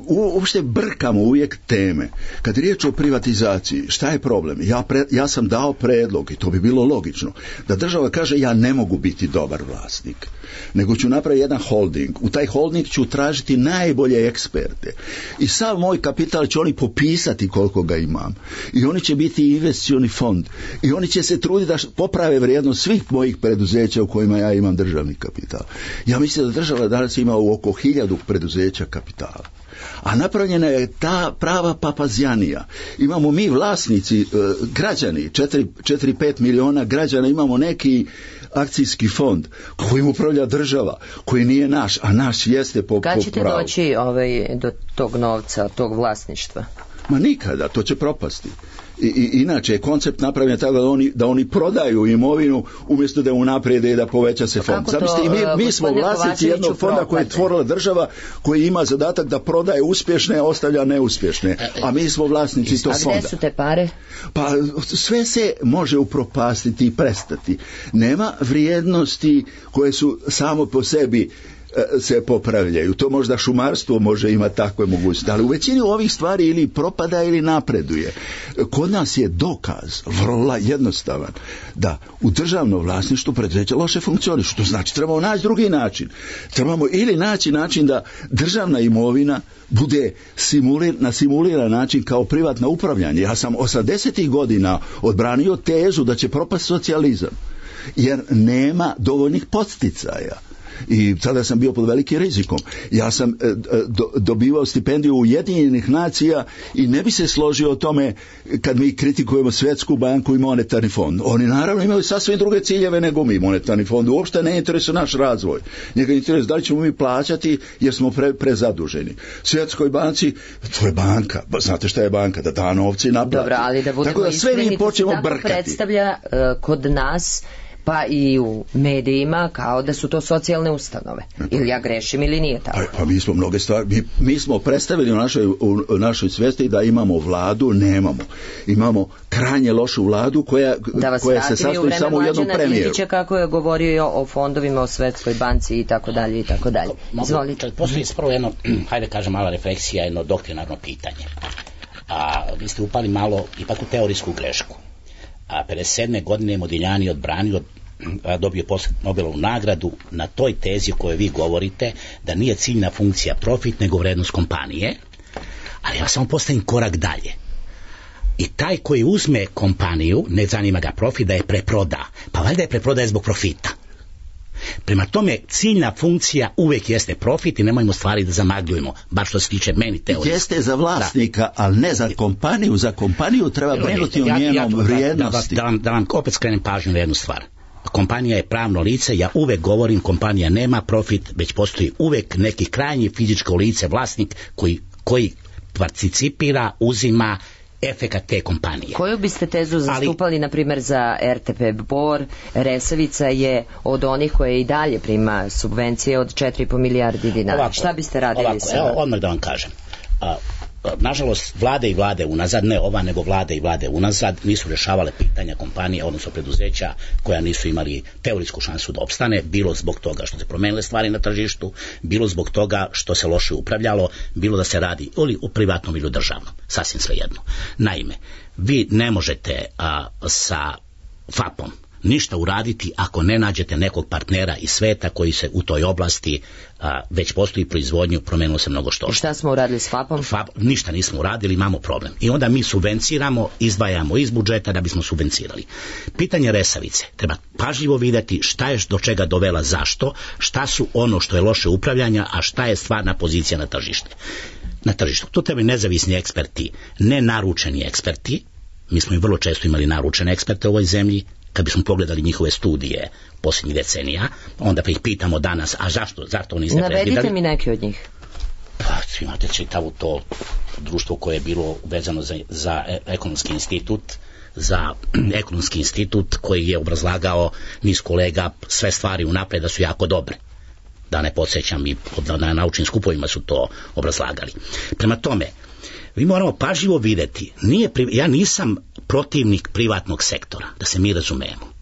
uopšte brkamo uvijek teme. Kad je riječ o privatizaciji, šta je problem? Ja, pre, ja sam dao predlog, i to bi bilo logično, da država kaže ja ne mogu biti dobar vlasnik, nego ću napraviti jedan holding. U taj holding ću tražiti najbolje eksperte. I sav moj kapital će oni popisati koliko ga imam. I oni će biti investicioni fond. I oni će se truditi da poprave vrijednost svih mojih preduzeća u kojima ja imam državni kapital. Ja mislim da država danas ima oko hiljadu preduzeća kapitala. A napravljena je ta prava papazjanija. Imamo mi vlasnici, građani, četiri pet miliona građana, imamo neki akcijski fond kojim upravlja država, koji nije naš, a naš jeste po, po pravu. Kad ćete doći ovaj, do tog novca, tog vlasništva? Ma nikada, to će propasti. I, i, inače je koncept napravljen tako da oni, da oni prodaju imovinu umjesto da unaprijede i da poveća se fond. Zamislite, mi, mi smo vlasnici jednog fonda koji je tvorila država, koji ima zadatak da prodaje uspješne, a ostavlja neuspješne. A mi smo vlasnici tog fonda. A gdje su te pare? Pa sve se može upropastiti i prestati. Nema vrijednosti koje su samo po sebi se popravljaju. To možda šumarstvo može imati takve mogućnosti, ali u većini ovih stvari ili propada ili napreduje. Kod nas je dokaz vrlo jednostavan da u državnom vlasništvu preduzeća loše funkcionišu. To znači trebamo naći drugi način. Trebamo ili naći način da državna imovina bude simulir, na simuliran način kao privatno upravljanje. Ja sam osamdesetih godina odbranio tezu da će propast socijalizam, jer nema dovoljnih podsticaja. I sada sam bio pod velikim rizikom. Ja sam e, do, dobivao stipendiju Ujedinjenih nacija i ne bi se složio o tome kad mi kritikujemo Svjetsku banku i monetarni fond. Oni naravno imaju sasvim druge ciljeve nego mi. Monetarni fond uopšte ne interesuje naš razvoj. Njega interesuje da li ćemo mi plaćati jer smo pre, prezaduženi. Svjetskoj banci, to je banka. Znate šta je banka? Da da novci naplati. Dobro, ali da budemo tako da sve mi počnemo brkati. Predstavlja uh, kod nas pa i u medijima kao da su to socijalne ustanove. Ili ja grešim ili nije tako? Pa, pa mi smo mnoge stvari, mi, mi smo predstavili u našoj, u našoj svijesti da imamo vladu, nemamo. Imamo krajnje lošu vladu koja, koja se sastoji samo u jednom premijeru. Dinkića kako je govorio o fondovima, o Svetskoj banci i tako dalje i tako dalje. Izvolite. Postoji prvo jedno, hajde kažem mala refleksija, jedno doktrinarno pitanje. A vi ste upali malo ipak u teorijsku grešku. A pedeset sedme godine Modigliani odbranio, dobio Nobelovu nagradu na toj tezi o kojoj vi govorite, da nije ciljna funkcija profit nego vrednost kompanije, ali ja samo postavim korak dalje. I taj koji uzme kompaniju, ne zanima ga profit, da je preproda, pa valjda je preprodaje zbog profita. Prema tome, ciljna funkcija uvijek jeste profit i nemojmo stvari da zamagljujemo, bar što se tiče meni teorije. Jeste za vlasnika, da. Ali ne za kompaniju. Za kompaniju treba brinuti o njenom ja, ja, vrijednosti. Da, da, vam, da vam opet skrenem pažnju na jednu stvar. Kompanija je pravno lice, ja uvijek govorim kompanija nema profit, već postoji uvijek neki krajnji fizičko lice, vlasnik koji, koji participira, uzima efekat te kompanije. Koju biste tezu zastupali, ali, na primjer, za R T P Bor? Resavica je od onih koje i dalje prima subvencije od četiri i po milijardi dinara. Ovako, šta biste radili ovako, sa? Evo, odmah da vam kažem. A, nažalost, vlade i vlade unazad, ne ova, nego vlade i vlade unazad, nisu rješavale pitanja kompanije, odnosno preduzeća koja nisu imali teorijsku šansu da opstane, bilo zbog toga što se promenile stvari na tržištu, bilo zbog toga što se loše upravljalo, bilo da se radi ili u privatnom ili u državnom, sasvim svejedno. Naime, vi ne možete a, sa F A P-om ništa uraditi ako ne nađete nekog partnera iz sveta koji se u toj oblasti a, već postoji proizvodnju, promenilo se mnogo što. I šta smo uradili s F A P-om? F A P, ništa nismo uradili, imamo problem. I onda mi subvenciramo, izdvajamo iz budžeta da bismo subvencirali. Pitanje Resavice, treba pažljivo vidjeti šta je do čega dovela, zašto, šta su ono što je loše upravljanja, a šta je stvarna pozicija na tržište. Na tržištu. Tu treba nezavisni eksperti, ne naručeni eksperti. Mi smo i vrlo često imali naručene eksperte u ovoj zemlji. Kad bismo pogledali njihove studije posljednjih decenija, onda pa ih pitamo danas, a zašto, zašto niste pregledali? Navedite mi neki od njih. Pa, imate čitavu to društvo koje je bilo vezano za, za ekonomski institut, za ekonomski institut koji je obrazlagao niz kolega sve stvari unaprijed da su jako dobre. Da ne podsjećam, i na naučnim skupovima su to obrazlagali. Prema tome, mi moramo pažljivo vidjeti, nije, ja nisam protivnik privatnog sektora, da se mi razumemo.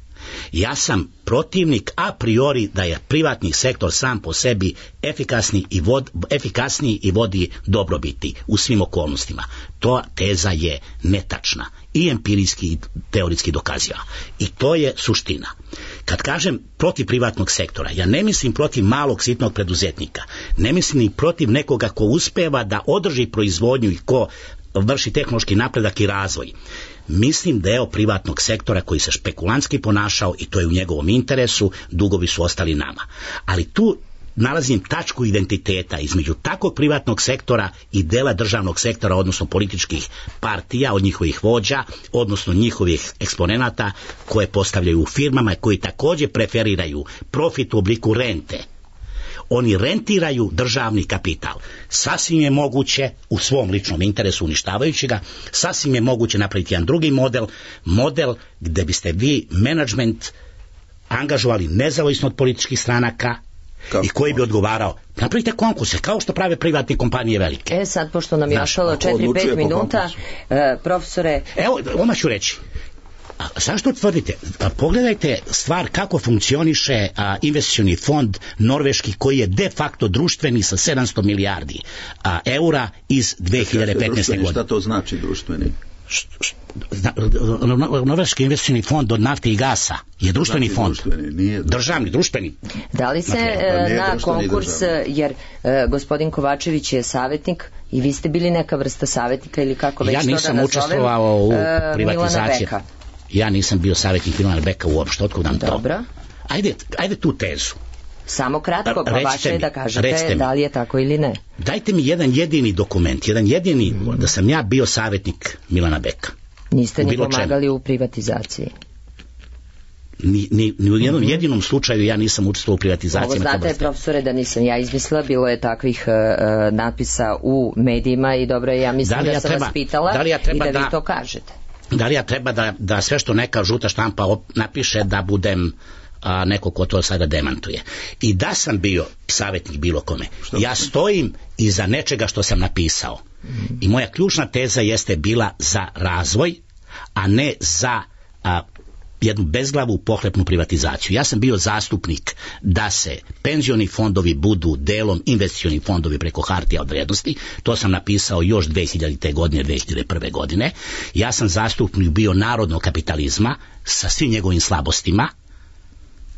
Ja sam protivnik a priori da je privatni sektor sam po sebi efikasni i vod, efikasniji i vodi dobrobiti u svim okolnostima. To teza je netačna i empirijski i teoretski dokaziva. I to je suština. Kad kažem protiv privatnog sektora, ja ne mislim protiv malog sitnog preduzetnika, ne mislim ni protiv nekoga ko uspeva da održi proizvodnju i ko vrši tehnološki napredak i razvoj. mislim deo privatnog sektora koji se špekulantski ponašao i to je u njegovom interesu, dugovi su ostali nama. Ali tu nalazim tačku identiteta između takvog privatnog sektora i dela državnog sektora, odnosno političkih partija, od njihovih vođa, odnosno njihovih eksponenata koje postavljaju u firmama i koji također preferiraju profit u obliku rente. Oni rentiraju državni kapital. Sasvim je moguće, u svom ličnom interesu uništavajući ga, sasvim je moguće napraviti jedan drugi model, model gde biste vi menadžment angažovali nezavisno od političkih stranaka, kako i koji bi odgovarao. Napravite konkurse, kao što prave privatne kompanije velike. E sad, pošto nam je ostalo četiri pet minuta, e, profesore... Evo, odmah ću reći. A, zašto tvrdite? A, pogledajte stvar kako funkcioniše a, investicioni fond norveški koji je de facto društveni sa sedamsto milijardi a, eura iz dve hiljade petnaeste. godine. Šta to znači društveni? Norveški investicioni fond od nafte i gasa je društveni znači, fond. Društveni, nije državni, društveni. Da li se znači, na konkurs, državni. Jer e, gospodin Kovačević je savjetnik i vi ste bili neka vrsta savjetnika ili kako već ja to da nazovem? Ja nisam učestvovao u e, privatizaciji. Ja nisam bio savjetnik Milana Beka uopšte, otkud nam to? Dobro. Ajde, ajde tu tezu. Samo kratko, pa vaše je da kažete da li je tako ili ne. Dajte mi jedan jedini dokument, jedan jedini, mm. da sam ja bio savjetnik Milana Beka. Niste ni pomagali čemu. U privatizaciji? Ni, ni, ni u jednom mm-hmm. jedinom slučaju ja nisam učestvovao u privatizaciji. Ovo znate, profesore, da nisam ja izmislila, bilo je takvih uh, napisa u medijima i dobro, ja mislim da, da ja sam treba, vas pitala da ja i da, da vi to kažete. Da li ja treba da, da sve što neka žuta štampa op, napiše da budem a, neko ko to sada demantuje. I da sam bio savjetnik bilo kome, što ja stojim iza nečega što sam napisao. Mm-hmm. I moja ključna teza jeste bila za razvoj, a ne za a, jednu bezglavu pohlepnu privatizaciju. Ja sam bio zastupnik da se penzioni fondovi budu delom investicioni fondovi preko hartija od vrijednosti. To sam napisao još dve hiljadite. godine, dve hiljade prve. godine. Ja sam zastupnik bio narodnog kapitalizma sa svim njegovim slabostima.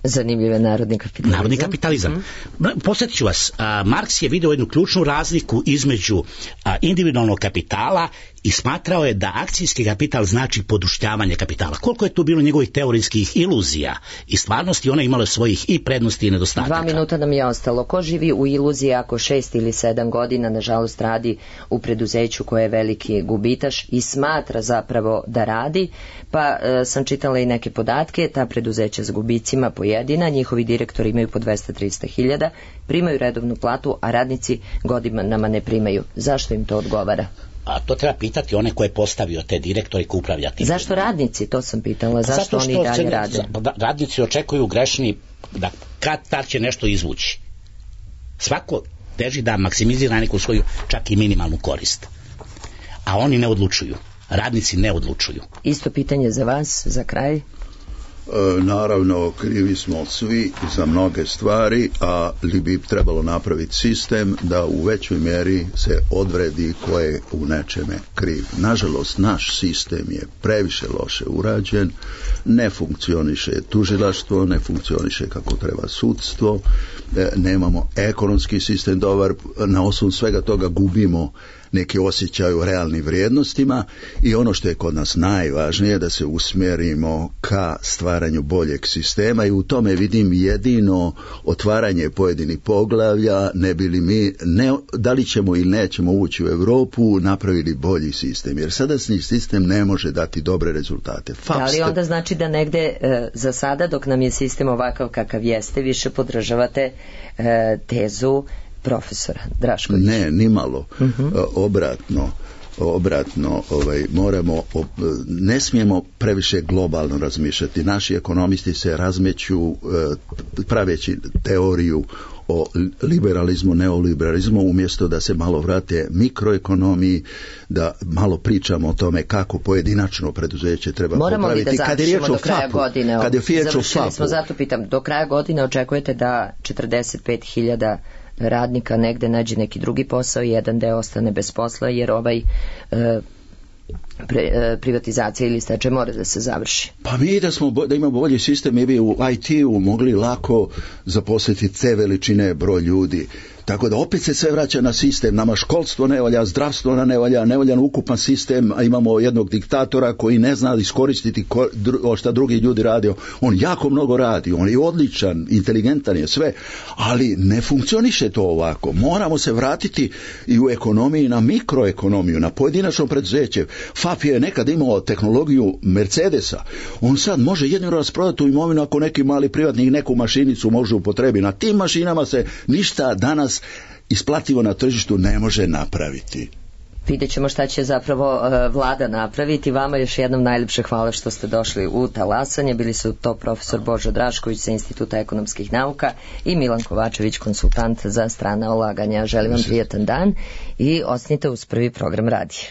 Zanimljiv je narodni kapitalizam. Narodni kapitalizam. Mm-hmm. Posjetit ću vas, a, Marks je vidio jednu ključnu razliku između a, individualnog kapitala i smatrao je da akcijski kapital znači poduštavanje kapitala. Koliko je tu bilo njegovih teorijskih iluzija i stvarnosti, ona imala svojih i prednosti i nedostataka. Dva minuta nam je ostalo. Ko živi u iluziji ako šest ili sedam godina, nažalost, radi u preduzeću koje je veliki gubitaš i smatra zapravo da radi, pa e, sam čitala i neke podatke, ta preduzeća s gubicima pojedina, njihovi direktori imaju po dvesta do trista hiljada, primaju redovnu platu, a radnici godinama ne primaju. Zašto im to odgovara? A to treba pitati one koje je postavio te direktori koji upravlja tim. Zašto radnici, to sam pitala, zašto oni dalje rade? Radnici očekuju grešni da kad tad će nešto izvući. Svako teži da maksimizira neku svoju čak i minimalnu korist. A oni ne odlučuju. Radnici ne odlučuju. Isto pitanje za vas, za kraj. E, naravno, krivi smo svi za mnoge stvari, ali bi trebalo napraviti sistem da u većoj mjeri se odvredi ko je u nečeme kriv. Nažalost, naš sistem je previše loše urađen, ne funkcioniše tužilaštvo, ne funkcioniše kako treba sudstvo, e, nemamo ekonomski sistem dobar, na osnovu svega toga gubimo neki osjećaj u realnim vrijednostima i ono što je kod nas najvažnije da se usmjerimo ka stvaranju boljeg sistema i u tome vidim jedino otvaranje pojedinih poglavlja, ne bi li mi, ne, da li ćemo ili nećemo ući u Europu, napravili bolji sistem, jer sadašnji sistem ne može dati dobre rezultate. Fapste... Da li onda znači da negde e, za sada dok nam je sistem ovakav kakav jeste, više podržavate e, tezu profesora Draškovića? Ne, nimalo. Uh-huh. Obratno, obratno, ovaj, moramo, ne smijemo previše globalno razmišljati. Naši ekonomisti se razmeću praveći teoriju o liberalizmu, neoliberalizmu, umjesto da se malo vrate mikroekonomiji, da malo pričamo o tome kako pojedinačno preduzeće treba moramo popraviti. Moramo li da završimo do kraja fapu, godine? Kad je riječ o fapu. Smo, zato pitam, do kraja godine očekujete da četrdeset pet hiljada radnika negde nađe neki drugi posao i jedan deo ostane bez posla jer ovaj e, pre, e, privatizacija ili stečaj mora da se završi. Pa mi da smo da imamo bolji sistem, mi bi u I T-u mogli lako zaposliti te veličine broj ljudi. Tako da opet se sve vraća na sistem. Nama školstvo ne valja, zdravstvo ne valja, ne valja ukupan sistem, a imamo jednog diktatora koji ne zna iskoristiti ko, dru, šta drugi ljudi radio. On jako mnogo radi, on je odličan, inteligentan je sve, ali ne funkcioniše to ovako. Moramo se vratiti i u ekonomiji na mikroekonomiju, na pojedinačno preduzeće. F A P je nekad imao tehnologiju Mercedesa. On sad može jedino rasprodati tu imovinu ako neki mali privatnik neku mašinicu može upotrebi. Na tim mašinama se ništa danas isplativo na tržištu ne može napraviti. Vidjet ćemo šta će zapravo uh, vlada napraviti. Vama još jednom najljepše hvala što ste došli u talasanje. Bili su to profesor Božo Drašković sa Instituta ekonomskih nauka i Milan Kovačević, konsultant za strana ulaganja. Želim vam prijatan dan i ostanite uz prvi program radija.